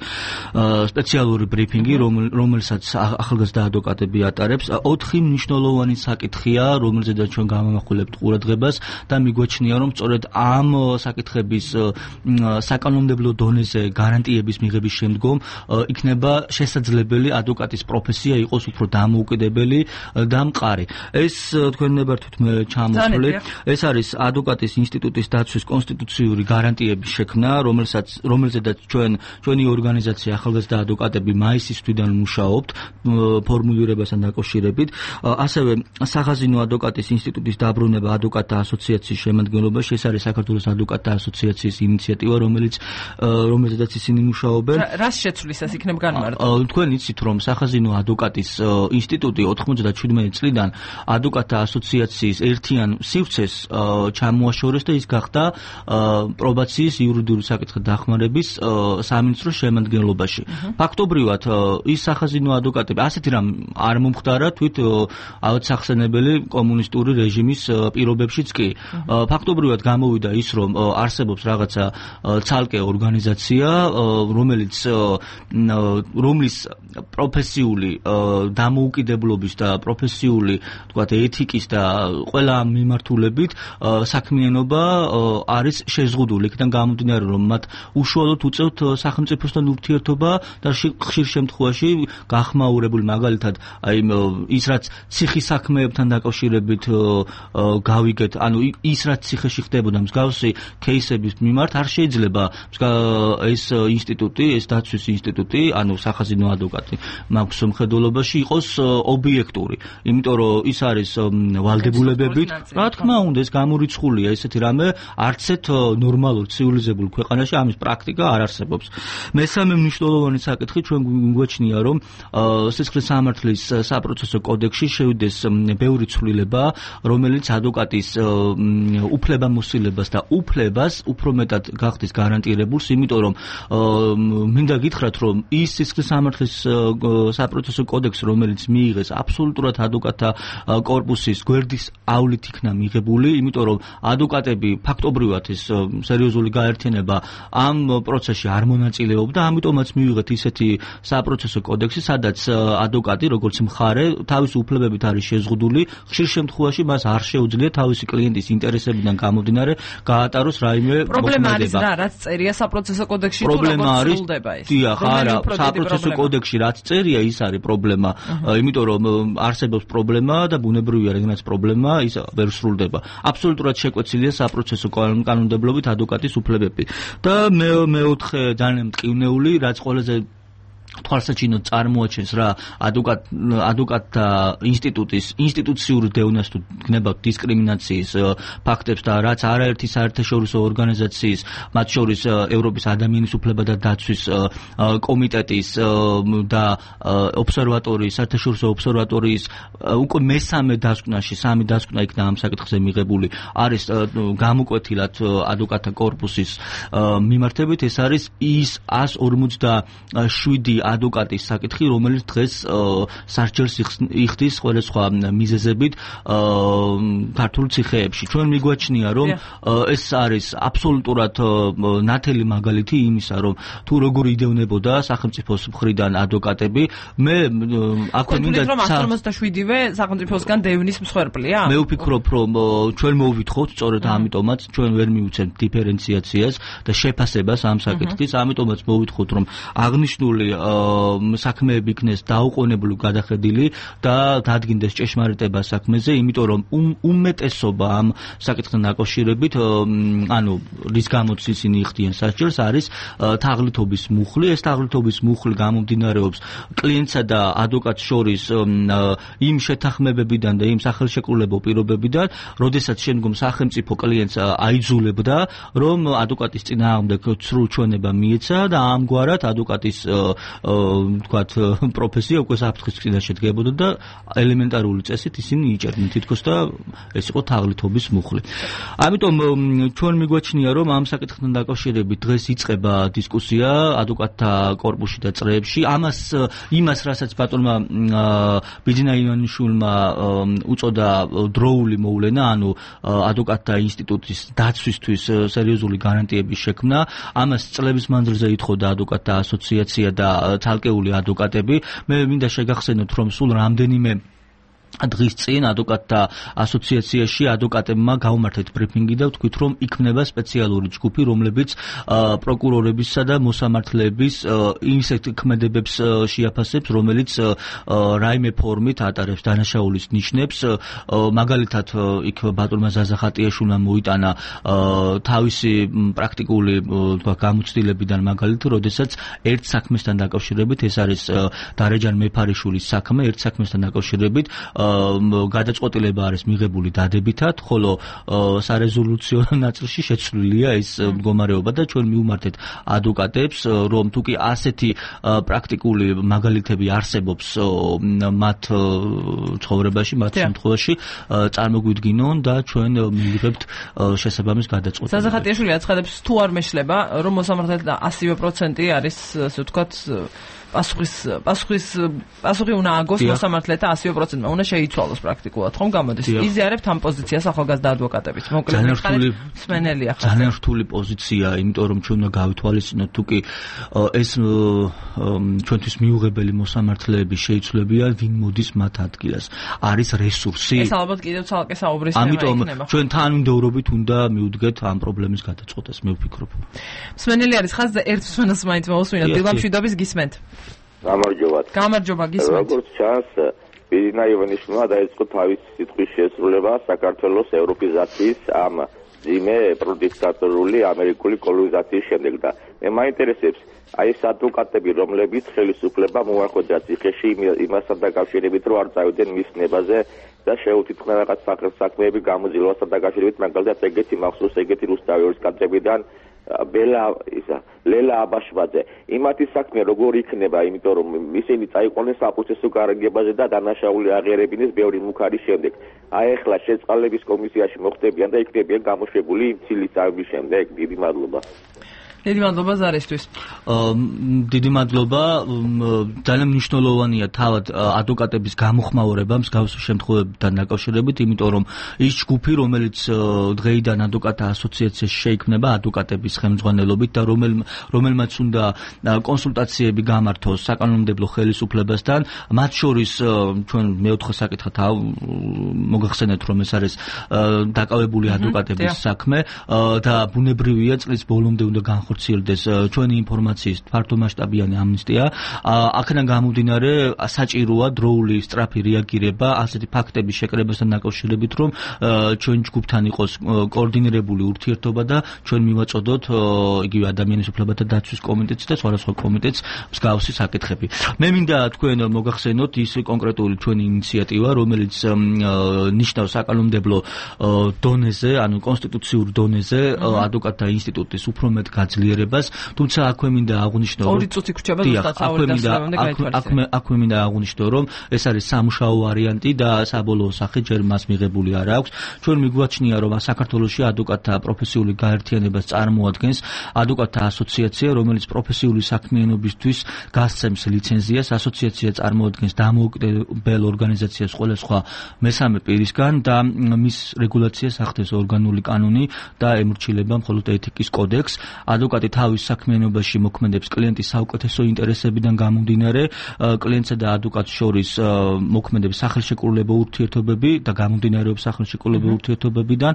სპეციალური ბრიფინგი, რომელსაც ახალგაზრდა ადვოკატები ატარებს. ოთხი მნიშვნელოვანი საკითხია, რომელზედაც ჩვენ გამოვახულებთ ყურადღებას და მიგვაჩნია, რომ სწორედ ამ საკითხების საკანონმდებლო დონეზე გარანტიების მიღების შემდგომ იქნება შესაძლებელი ადვოკატის პროფესია იყოს უფრო დამოუკიდებელი და მყარი. ეს თქვენ ნებართვით მე ჩამოთვლით. ეს არის ადვოკატის ინსტიტუტის დაცვის კონსტიტუციური გარანტიების შექმნა, რომელსაც რომელზედაც ჩვენ ჩვენი ორგანიზაცია ახალგაზრდა ადვოკატები მაისის თვიდან მუშაობთ ფორმულირებასთან დაკავშირებით. ასევე სახაზინო ადვოკატის ინსტიტუტის დაბრუნება ადვოკატთა ასოციაციის შემადგენლობაში. ეს არის საქართველოს ადვოკატთა ასოციაციის ინიციატივა, რომელიც რომელზედაც ისინი მუშაობენ.
რას შეცვლის ეს იქნება განმარტო?
თქვენ იცით, რომ სახაზინო ადვოკატის ინსტიტუტი ოთხმოცდაჩვიდმეტი წლიდან ადვოკატთა ასოციაციის ერთიან სივრცეს ჩამოაშორეს და ის გახდა პრობაციის იურიდიული საკითხთა დახმარების სამინისტროს შემადგენლობაში. ფაქტობრივად ის სახაზინო ადვოკატები ასეთი რამ არ მომხდარა თვით ავადსახსენებელი კომუნისტური რეჟიმის პირობებშიც კი. ფაქტობრივად გამოვიდა ის, რომ არსებობს რაღაცა ცალკე ორგანიზაცია, რომელიც რომლის პროფესიული დამოუკიდებლობის და პროფესიული, თქვათ, ეთიკის და ყველა მიმართულებით საქმიანობა არის შეზღუდული. იქიდან გამომდინარე, რომ მათ უშუალოდ უწევთ სახელმწიფოსთან ურთიერთობა და ხშირ შემთხვევაში გახმაურებული, მაგალითად, აი ის რაც ციხის საქმეებთან დაკავშირებით გავიგეთ, ანუ ის რაც ციხეში ხდებოდა მსგავსი кейსების მიმართ არ შეიძლება ეს ინსტიტუტი, ეს დაცვის ინსტიტუტი, ანუ სახაზინო ადვოკატი მაქვს მხედველობაში იყოს ობიექტური, იმიტომ რომ ის არის ვალდებულებებით, რა თქმა უნდა, ეს გამორიცხულია ესეთი რამე არც ერთ ნორმალურ ცივილიზებულ ქვეყანაში ამის პრაქტიკა არ არსებობს. მესამე მნიშვნელოვანი საკითხი ჩვენ გვიგვაჩნია, რომ სისხლის სამართლის საპროცესო კოდექსში შევიდეს ბევრი ცვლილება, რომელიც ადვოკატის უფლებამოსილებას და უფლებას უფრო მეტად გახდის გარანტირებულს, იმიტომ რომ მინდა გითხრათ, რომ ის სისხლის სამართლის საპროცესო კოდექსი, რომელიც მიიღეს აბსოლუტურად ადვოკატთა კორპუსის გვერდის ავლით იქნა მიღებული, იმიტომ რომ ადვოკატები ფაქტობრივად ის სერიოზული გაერთიანება ამ პროცესში არ მონაწილეობდა, ამიტომაც მივიღეთ ისეთი საპროცესო კოდექსი, სადაც ადვოკატი, როგორც მხარე, თავის უფლებებით არის შეზღუდული, ხშირ შემთხვევაში მას არ შეუძლია თავისი კლიენტის ინტერესებიდან გამომდინარე გაატაროს რაიმე მოქმედება.
პრობლემა არის რა, რაც წერია საპროცესო კოდექსში, თუ როგორ სრულდება ეს?
დიახ, არა, საპროცესო კოდექსში რაც წერია, ის არის პრობლემა, იმიტომ რომ არსებობს პრობლემა და ბუნებრივია, რადგანაც პრობლემა ის ვერ სრულდება. აბსოლუტურად შეკვეცილია საპროცესო კანონმდებლობით ადვოკატის უფლებები. და მეოთხე ძალიან მტკივნეული, რაც ყველაზე თვალსაჩინოდ წარმოაჩენს რა ადვოკატ ადვოკატთა ინსტიტუტის ინსტიტუციური დევნას თუ გნებავთ დისკრიმინაციის ფაქტებს და რაც არაერთი საერთაშორისო ორგანიზაციის, მათ შორის ევროპის ადამიანის უფლებათა დაცვის კომიტეტის და ობსერვატორიის, საერთაშორისო ობსერვატორიის უკვე მესამე დასკვნაში, სამი დასკვნა იქნა ამ საკითხზე მიღებული, არის გამოკვეთილად ადვოკატთა კორპუსის მიმართებით, ეს არის ის ას ორმოცდაშვიდი ადვოკატის საკითხი, რომელიც დღეს სასჯელს იხდის სხვადასხვა მიზეზებით ქართულ ციხეებში. ჩვენ მიგვაჩნია, რომ ეს არის აბსოლუტურად ნათელი მაგალითი იმისა, რომ თუ როგორ იდევნებოდა სახელმწიფოს მხრიდან ადვოკატები, მე აქვე მინდა
რომ ათას ორმოცდაშვიდივე სახელმწიფოსგან დევნის მსხვერპლია?
მე ვფიქრობ, რომ ჩვენ მოვვითხოვთ, სწორედ ამიტომაც ჩვენ ვერ მივუცემთ დიფერენციაციას და შეფასებას ამ საკითხის, ამიტომაც მოვვითხოვთ, რომ აღნიშნული საქმეები იქნეს დაუყოვნებლივ გადახედილი და დადგინდეს ჭეშმარიტება საქმეზე, იმიტომ რომ უმეტესობა ამ საკითხთან დაკავშირებით, ანუ რის გამოც ისინი იხდიან სასჯელს, არის თაღლითობის მუხლი. ეს თაღლითობის მუხლი გამომდინარეობს კლიენტსა და ადვოკატს შორის იმ შეთანხმებებიდან და იმ სახელშეკრულებო პირობებიდან, როდესაც შემდგომ სახელმწიფო კლიენტს აიძულებდა, რომ ადვოკატის წინააღმდეგ სრულ ჩვენება მიეცა და ამგვარად ადვოკატის თქვათ პროფესია უკვე საფრთხის წინაშე შედგებოდა და ელემენტარული წესით ისინი იჭერდნენ თითქოს და ეს იყო თაღლითობის მუხლი. ამიტომ ჩვენ მიგვაჩნია, რომ ამ საკითხთან დაკავშირებით დღეს იწყება დისკუსია ადვოკატთა კორპუსში და წრეებში. ამას იმას, რასაც ბატონმა ბიძინა ივანიშვილმა უწოდა დროული მოვლენა, ანუ ადვოკატთა ინსტიტუტის დაცვისთვის სერიოზული გარანტიების შექმნა, ამას წლების მანძილზე ითხოვდა ადვოკატთა ასოციაცია და ცალკეული ადვოკატები. მე მინდა შეგახსენოთ, რომ სულ რამდენიმე დღის წინ ადვოკატთა ასოციაციაში ადვოკატებმა გაუმართეთ ბრიფინგი და ვთქვით, რომ იქმნება სპეციალური ჯგუფი, რომლებიც პროკურორებისა და მოსამართლეების ისეთ ქმედებებს შეაფასებს, რომელიც რაიმე ფორმით ატარებს დანაშაულის ნიშნებს. მაგალითად, იქ ბატონმა ზაზა ხატიაშვილმა მოიტანა თავისი პრაქტიკული თქვა გამოცდილებიდან მაგალითი, როდესაც ერთ საქმესთან დაკავშირებით, ეს არის დარეჯან მეფარიშვილის საქმე, ერთ საქმესთან დაკავშირებით გადაწყვეტილება არის მიღებული დადებითად, ხოლო სარეზოლუციო ნაწილში შეცვლილია ეს მდგომარეობა და ჩვენ მივმართეთ ადვოკატებს, რომ თუკი ასეთი პრაქტიკული მაგალითები არსებობს მათ ცხოვრებაში, მათ შემთხვევაში წარმოგვიდგინონ და ჩვენ მივიღებთ შესაბამის გადაწყვეტილებას.
ზაზა ხატიაშვილი აცხადებს, თუ არ მეშლება, რომ მოსამართლეთა ასივე პროცენტი არის, ასე ვთქვათ, პასუხის პასუხის პასუხი უნდა აგოს მოსამართლეთა ასი პროცენტმა უნდა შეიცვალოს პრაქტიკულად ხომ გამოდის იზიარებთ ამ პოზიციას ახალგაზრდა ადვოკატებით მოკლედ სმენელია ხარ
ძალიან რთული პოზიცია იმიტომ რომ ჩვენ უნდა გავითვალისწინოთ თუ კი ეს ჩვენთვის მიუღებელი მოსამართლეები შეიცვლებიან ვინ მოდის მათ ადგილას არის რესურსი
ეს ალბათ კიდევ ცალკე საუბრის თემა იქნება
ამიტომ ჩვენ თანმიმდევრობით უნდა მივუდგეთ ამ პრობლემის გადაწყვეტას მე ვფიქრობ
სმენელი არის ხაზზე ერთ სმენელს მაინც მოусმინოთ დილამშვიდობის გისმენთ
გამარჯობა
გამარჯობა გისმენთ
როგორც ჩანს ბირინა ივანიშვილმა დაიწყო თავის სიტყვის შესრულება საქართველოს ევროპიზაციის ამ ძიმე პროდიქტატორული ამერიკული კოლონიზაციის შემდეგ და მე მაინტერესებს აი ეს ადვოკატები რომლებიც ხელისუფლება მოახერხა ციხეში იმასთან დაკავშირებით რომ არ წავიდნენ მის ნებაზე და შეუთითქნა რაღაც საქმეები გამოძილვასთან დაკავშირებით მაგალითად ეგეთი მახსოვს ეგეთი რუსთავის კადრებიდან ბელა ისა ლელა აბაშბაძე იმათი საქმე როგორ იქნება იმიტომ რომ ისინი წაიყვანეს საპროცესო გარიგებაზე და დანაშაული აღიარებინეს ბევრი მუქარის შემდეგ აი ახლა შეწყალების კომისიაში მოხდებიან და იქნებიან გამოშვებული ცილის წავების შემდეგ დიდი მადლობა
დიდი მადლობა ზარისთვის.
დიდი მადლობა. ძალიან მნიშვნელოვანია თავად ადვოკატების გამოხმაურება მსგავსი შემთხვევებთან დაკავშირებით, იმიტომ რომ ის ჯგუფი, რომელიც დღეიდან ადვოკატთა ასოციაციაში შეიქმნება ადვოკატების ხელმძღვანელობით და რომელ რომელმაც უნდა კონსულტაციები გამართოს საკანონმდებლო ხელისუფლებასთან, მათ შორის ჩვენ მეოთხე საკითხად მოგახსენეთ, რომ ეს არის დაკავებული ადვოკატების საქმე და ბუნებრივია წლის ბოლომდე უნდა განხორციელდეს ჩვენი ინფორმაციის ფართომასშტაბიანი ამნისტია. აქედან გამომდინარე საჭიროა დროული სწრაფი რეაგირება ასეთი ფაქტების შეკრებასთან დაკავშირებით, რომ ჩვენ ჯგუფთან იყოს კოორდინირებული ურთიერთობა და ჩვენ მივაწოდოთ იგივე ადამიანის უფლებათა დაცვის კომიტეტს და სხვადასხვა კომიტეტს მსგავსი საკითხები. მე მინდა თქვენ მოგახსენოთ ის კონკრეტული ჩვენი ინიციატივა, რომელიც ნიშნავს საკანონმდებლო დონეზე, ანუ კონსტიტუციურ დონეზე ადვოკატთა ინსტიტუტის უფრო მეტ გაძლიერებას, თუმცა აქვე მინდა აღვნიშნო,
ორი წუთი გრჩება ზუსტად საუბარი დასწრებამდე გაითვალისწინებთ.
აქვე მინდა აღვნიშნო, რომ ეს არის სამუშაო ვარიანტი და საბოლოო სახე ჯერ მას მიღებული არ აქვს. ჩვენ მიგვაჩნია, რომ საქართველოში ადვოკატთა პროფესიული გაერთიანებას წარმოადგენს ადვოკატთა ასოციაცია, რომელიც პროფესიული საქმიანობისთვის გასცემს ლიცენზიას. ასოციაცია წარმოადგენს დამოუკიდებელ ორგანიზაციას ყველა სხვა მესამე პირისგან და მის რეგულაციას ახდენს ორგანული კანონი და ემორჩილება მხოლოდ ეთიკის კოდექს. ადვოკატი თავის საქმიანობაში მოქმედებს კლიენტის საუკეთესო ინტერესებიდან გამომდინარე, კლიენტსა და ადვოკატს შორის მოქმედებს სახელშეკრულებო ურთიერთობები და გამომდინარეობს სახელშეკრულებო ურთიერთობებიდან.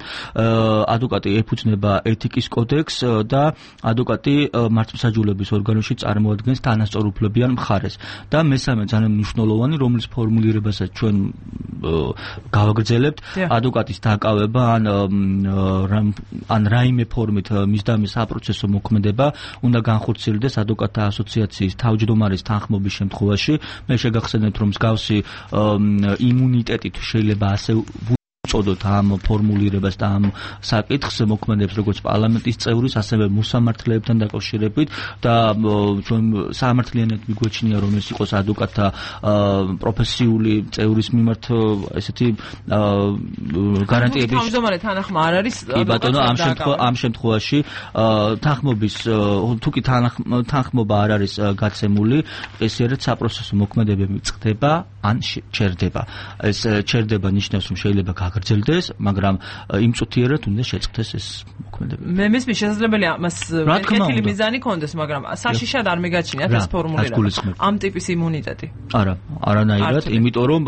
ადვოკატი ეფუძნება ეთიკის კოდექს და ადვოკატი მართლმსაჯულების ორგანოში წარმოადგენს თანასწორუფლებიან მხარეს. და მესამე ძალიან მნიშვნელოვანი, რომლის ფორმულირებასაც ჩვენ გავაგრძელებთ, ადვოკატის დაკავება ან ან რაიმე ფორმით მისდამის საპროცესო მოქმედება უნდა განხორციელდეს ადვოკატთა ასოციაციის თავმჯდომარის თანხმობის შემთხვევაში. მე შეგახსენებთ, რომ მსგავსი იმუნიტეტით შეიძლება ასე წოდოთ ამ ფორმულირებას და ამ საკითხს მოქმედებს როგორც პარლამენტის წევრის, ასევე მოსამართლეებთან დაკავშირებით და ჩვენ სამართლიანად მიგვეჩნია, რომ ეს იყოს ადვოკატთა პროფესიული წევრის მიმართ ესეთი გარანტიების
თავმჯდომარე თანახმა არ არის
კი ბატონო, ამ შემთხვევაში ამ შემთხვევაში თანხმობის თუ კი თანხმობა არ არის გაცემული, ესერეთ საპროცესო მოქმედებები წყდება ან ჩერდება. ეს ჩერდება ნიშნავს, რომ შეიძლება გაგრძელდეს, მაგრამ იმ წუთიერად უნდა შეწყდეს ეს მოქმედებები.
მე მესმის შესაძლებელია მას კეთილი მიზანი კონდეს, მაგრამ საშიშად არ მეგაჩნიათ ეს ფორმულირება. ამ ტიპის იმუნიტეტი.
არა, არანაირად, იმიტომ რომ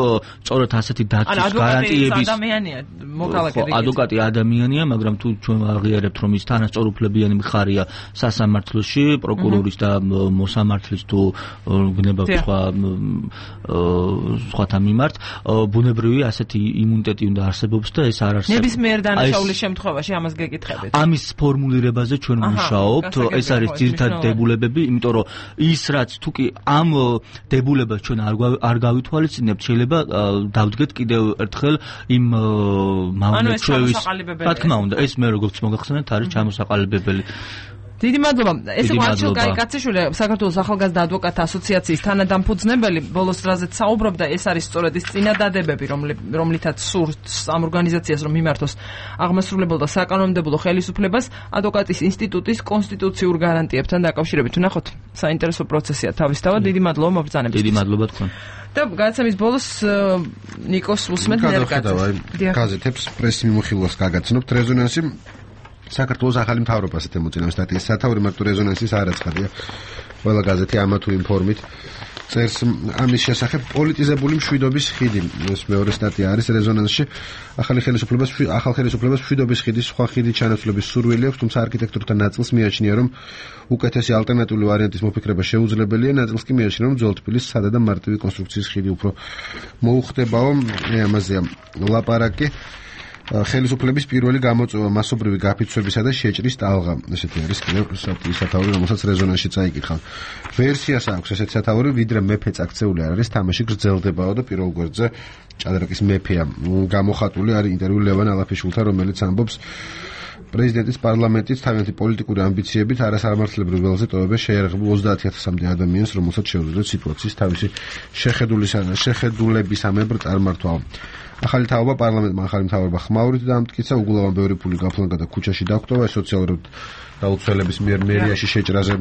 სწორედ ასეთი დაცვის გარანტიების
ადამიანია, მოქალაქე რიგით.
ადვოკატი ადამიანია, მაგრამ თუ ჩვენ აღიარებთ, რომ ის თანასწორუფლებიანი მხარეა სასამართლოში, პროკურორის და მოსამართლის თუ გნებავთ სხვა სხვათა მიმართ, ბუნებრივი ასეთი იმუნიტეტი უნდა არსებობს და ეს არ არსებობს.
ნებისმიერ დანაშაულის შემთხვევაში ამას გეკითხებით.
ამის ფორმულირებაზე ჩვენ ვმუშაობთ, ეს არის ძირითადი დებულებები, იმიტომ რომ ის რაც თუ კი ამ დებულებას ჩვენ არ გავითვალისწინებთ, შეიძლება დავდგეთ კიდევ ერთხელ იმ მავნე ჩვევის. რა თქმა უნდა, ეს მე როგორც მოგახსენეთ არის ჩამოსაყალიბებელი.
დიდი მადლობა. ეს იყო არჩილ კაიკაციშვილი, საქართველოს ახალგაზრდა ადვოკატთა ასოციაციის თანადამფუძნებელი. ბოლოს რაზეც საუბრობდა, ეს არის სწორედ ის წინადადებები, რომლითაც სურს ამ ორგანიზაციას რომ მიმართოს აღმასრულებელ და საკანონმდებლო ხელისუფლებას ადვოკატის ინსტიტუტის კონსტიტუციურ გარანტიებთან დაკავშირებით. ვნახოთ, საინტერესო პროცესია თავისთავად. დიდი მადლობა მობრძანებისთვის.
დიდი მადლობა თქვენ.
და გადაცემის ბოლოს ნიკოს უსმენთ ნერგაძეს.
გაზეთებს პრესი მიმოხილვას გაგაცნობთ რეზონანსი საქართველოს ახალი მთავრობა ასეთ ემოწინებს სტატიის სათაური მარტო რეზონანსის არ აცხადია. ყველა გაზეთი ამა თუ იმ ფორმით წერს ამის შესახებ პოლიტიზებული მშვიდობის ხიდი. ეს მეორე სტატია არის რეზონანსში. ახალი ხელისუფლებას ახალ ხელისუფლებას მშვიდობის ხიდის სხვა ხიდი ჩანაცვლების სურვილი აქვს, თუმცა არქიტექტორთან ნაწილს მიაჩნია, რომ უკეთესი ალტერნატიული ვარიანტის მოფიქრება შეუძლებელია, ნაწილს კი მიაჩნია, რომ ძველ თბილისის სადა და მარტივი კონსტრუქციის ხიდი უფრო მოუხდებაო. ამაზეა ლაპარაკი. ხელისუფლების პირველი გამოწვევა მასობრივი გაფიცვებისა და შეჭრის ტალღა. ესეთი არის კიდევ სტატიის სათაური, რომელსაც რეზონანსში წაიკითხა. ვერსიას აქვს ესეთი სათაური, ვიდრე მეფე წაქცეული არ არის, თამაში გრძელდებაო და პირველ გვერდზე ჭადრაკის მეფეა გამოხატული. არის ინტერვიუ ლევან ალაფიშვილთან, რომელიც ამბობს, პრეზიდენტის პარლამენტის თავიანთი პოლიტიკური ამბიციებით არასამართლებრივ ველზე ტოვება შეიარაღებულ ოცდაათი ათასამდე ადამიანს, რომელსაც შეუძლიათ სიტუაციის თავისი შეხედულებისამებრ წარმართვა. ახალი თაობა პარლამენტმა ახალი მთავრობა ხმაურით დაამტკიცა, უგულავან ბევრი ფული გაფლანგა და ქუჩაში დაგვტოვა, სოციალურად დაუცველების მიერ მერიაში შეჭრაზე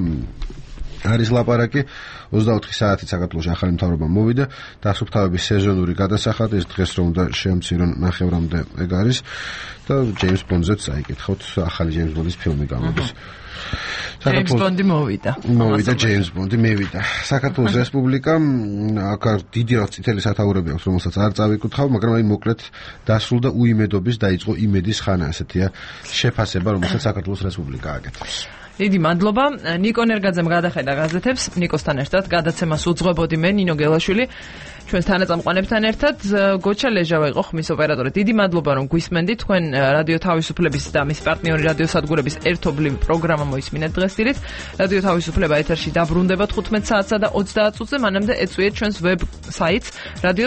არის ლაპარაკი. ოცდაოთხი საათით საქართველოში ახალი მთავრობა მოვიდა, დასუფთავების სეზონური გადასახადი, ეს დღეს რომ უნდა შეამცირონ ნახევრამდე ეგ არის და ჯეიმს ბონდზეც წაიკითხოთ, ახალი ჯეიმს ბონდის ფილმი გამოდის.
ჯეიმს ბონდი მოვიდა.
მოვიდა ჯეიმს ბონდი, მევიდა. საქართველოს რესპუბლიკა აქ დიდი რაღაც წითელი სათაურები აქვს, რომელსაც არ წავიკითხავ, მაგრამ აი მოკლედ დასრულდა უიმედობის დაიწყო იმედის ხანა, ესეთია შეფასება, რომელსაც საქართველოს რესპუბლიკა აკეთებს.
დიდი მადლობა. ნიკო ნერგაძემ გადახედა გაზეთებს. ნიკოსთან ერთად გადაცემას უძღვებოდი მე, ნინო გელაშვილი. ჩვენს თანაწამყვანებთან ერთად გოჩა ლეჟავა იყო ხმის ოპერატორი. დიდი მადლობა რომ გვისმენდით. თქვენ რადიო თავისუფლების და მის პარტნიორი რადიო სადგურების ერთობლივი პროგრამა მოისმინეთ დღეს დილით. რადიო თავისუფლება ეთერში დაბრუნდება თხუთმეტ საათსა და ოცდაათ წუთზე. მანამდე ეწვიეთ ჩვენს ვებ საიტს radio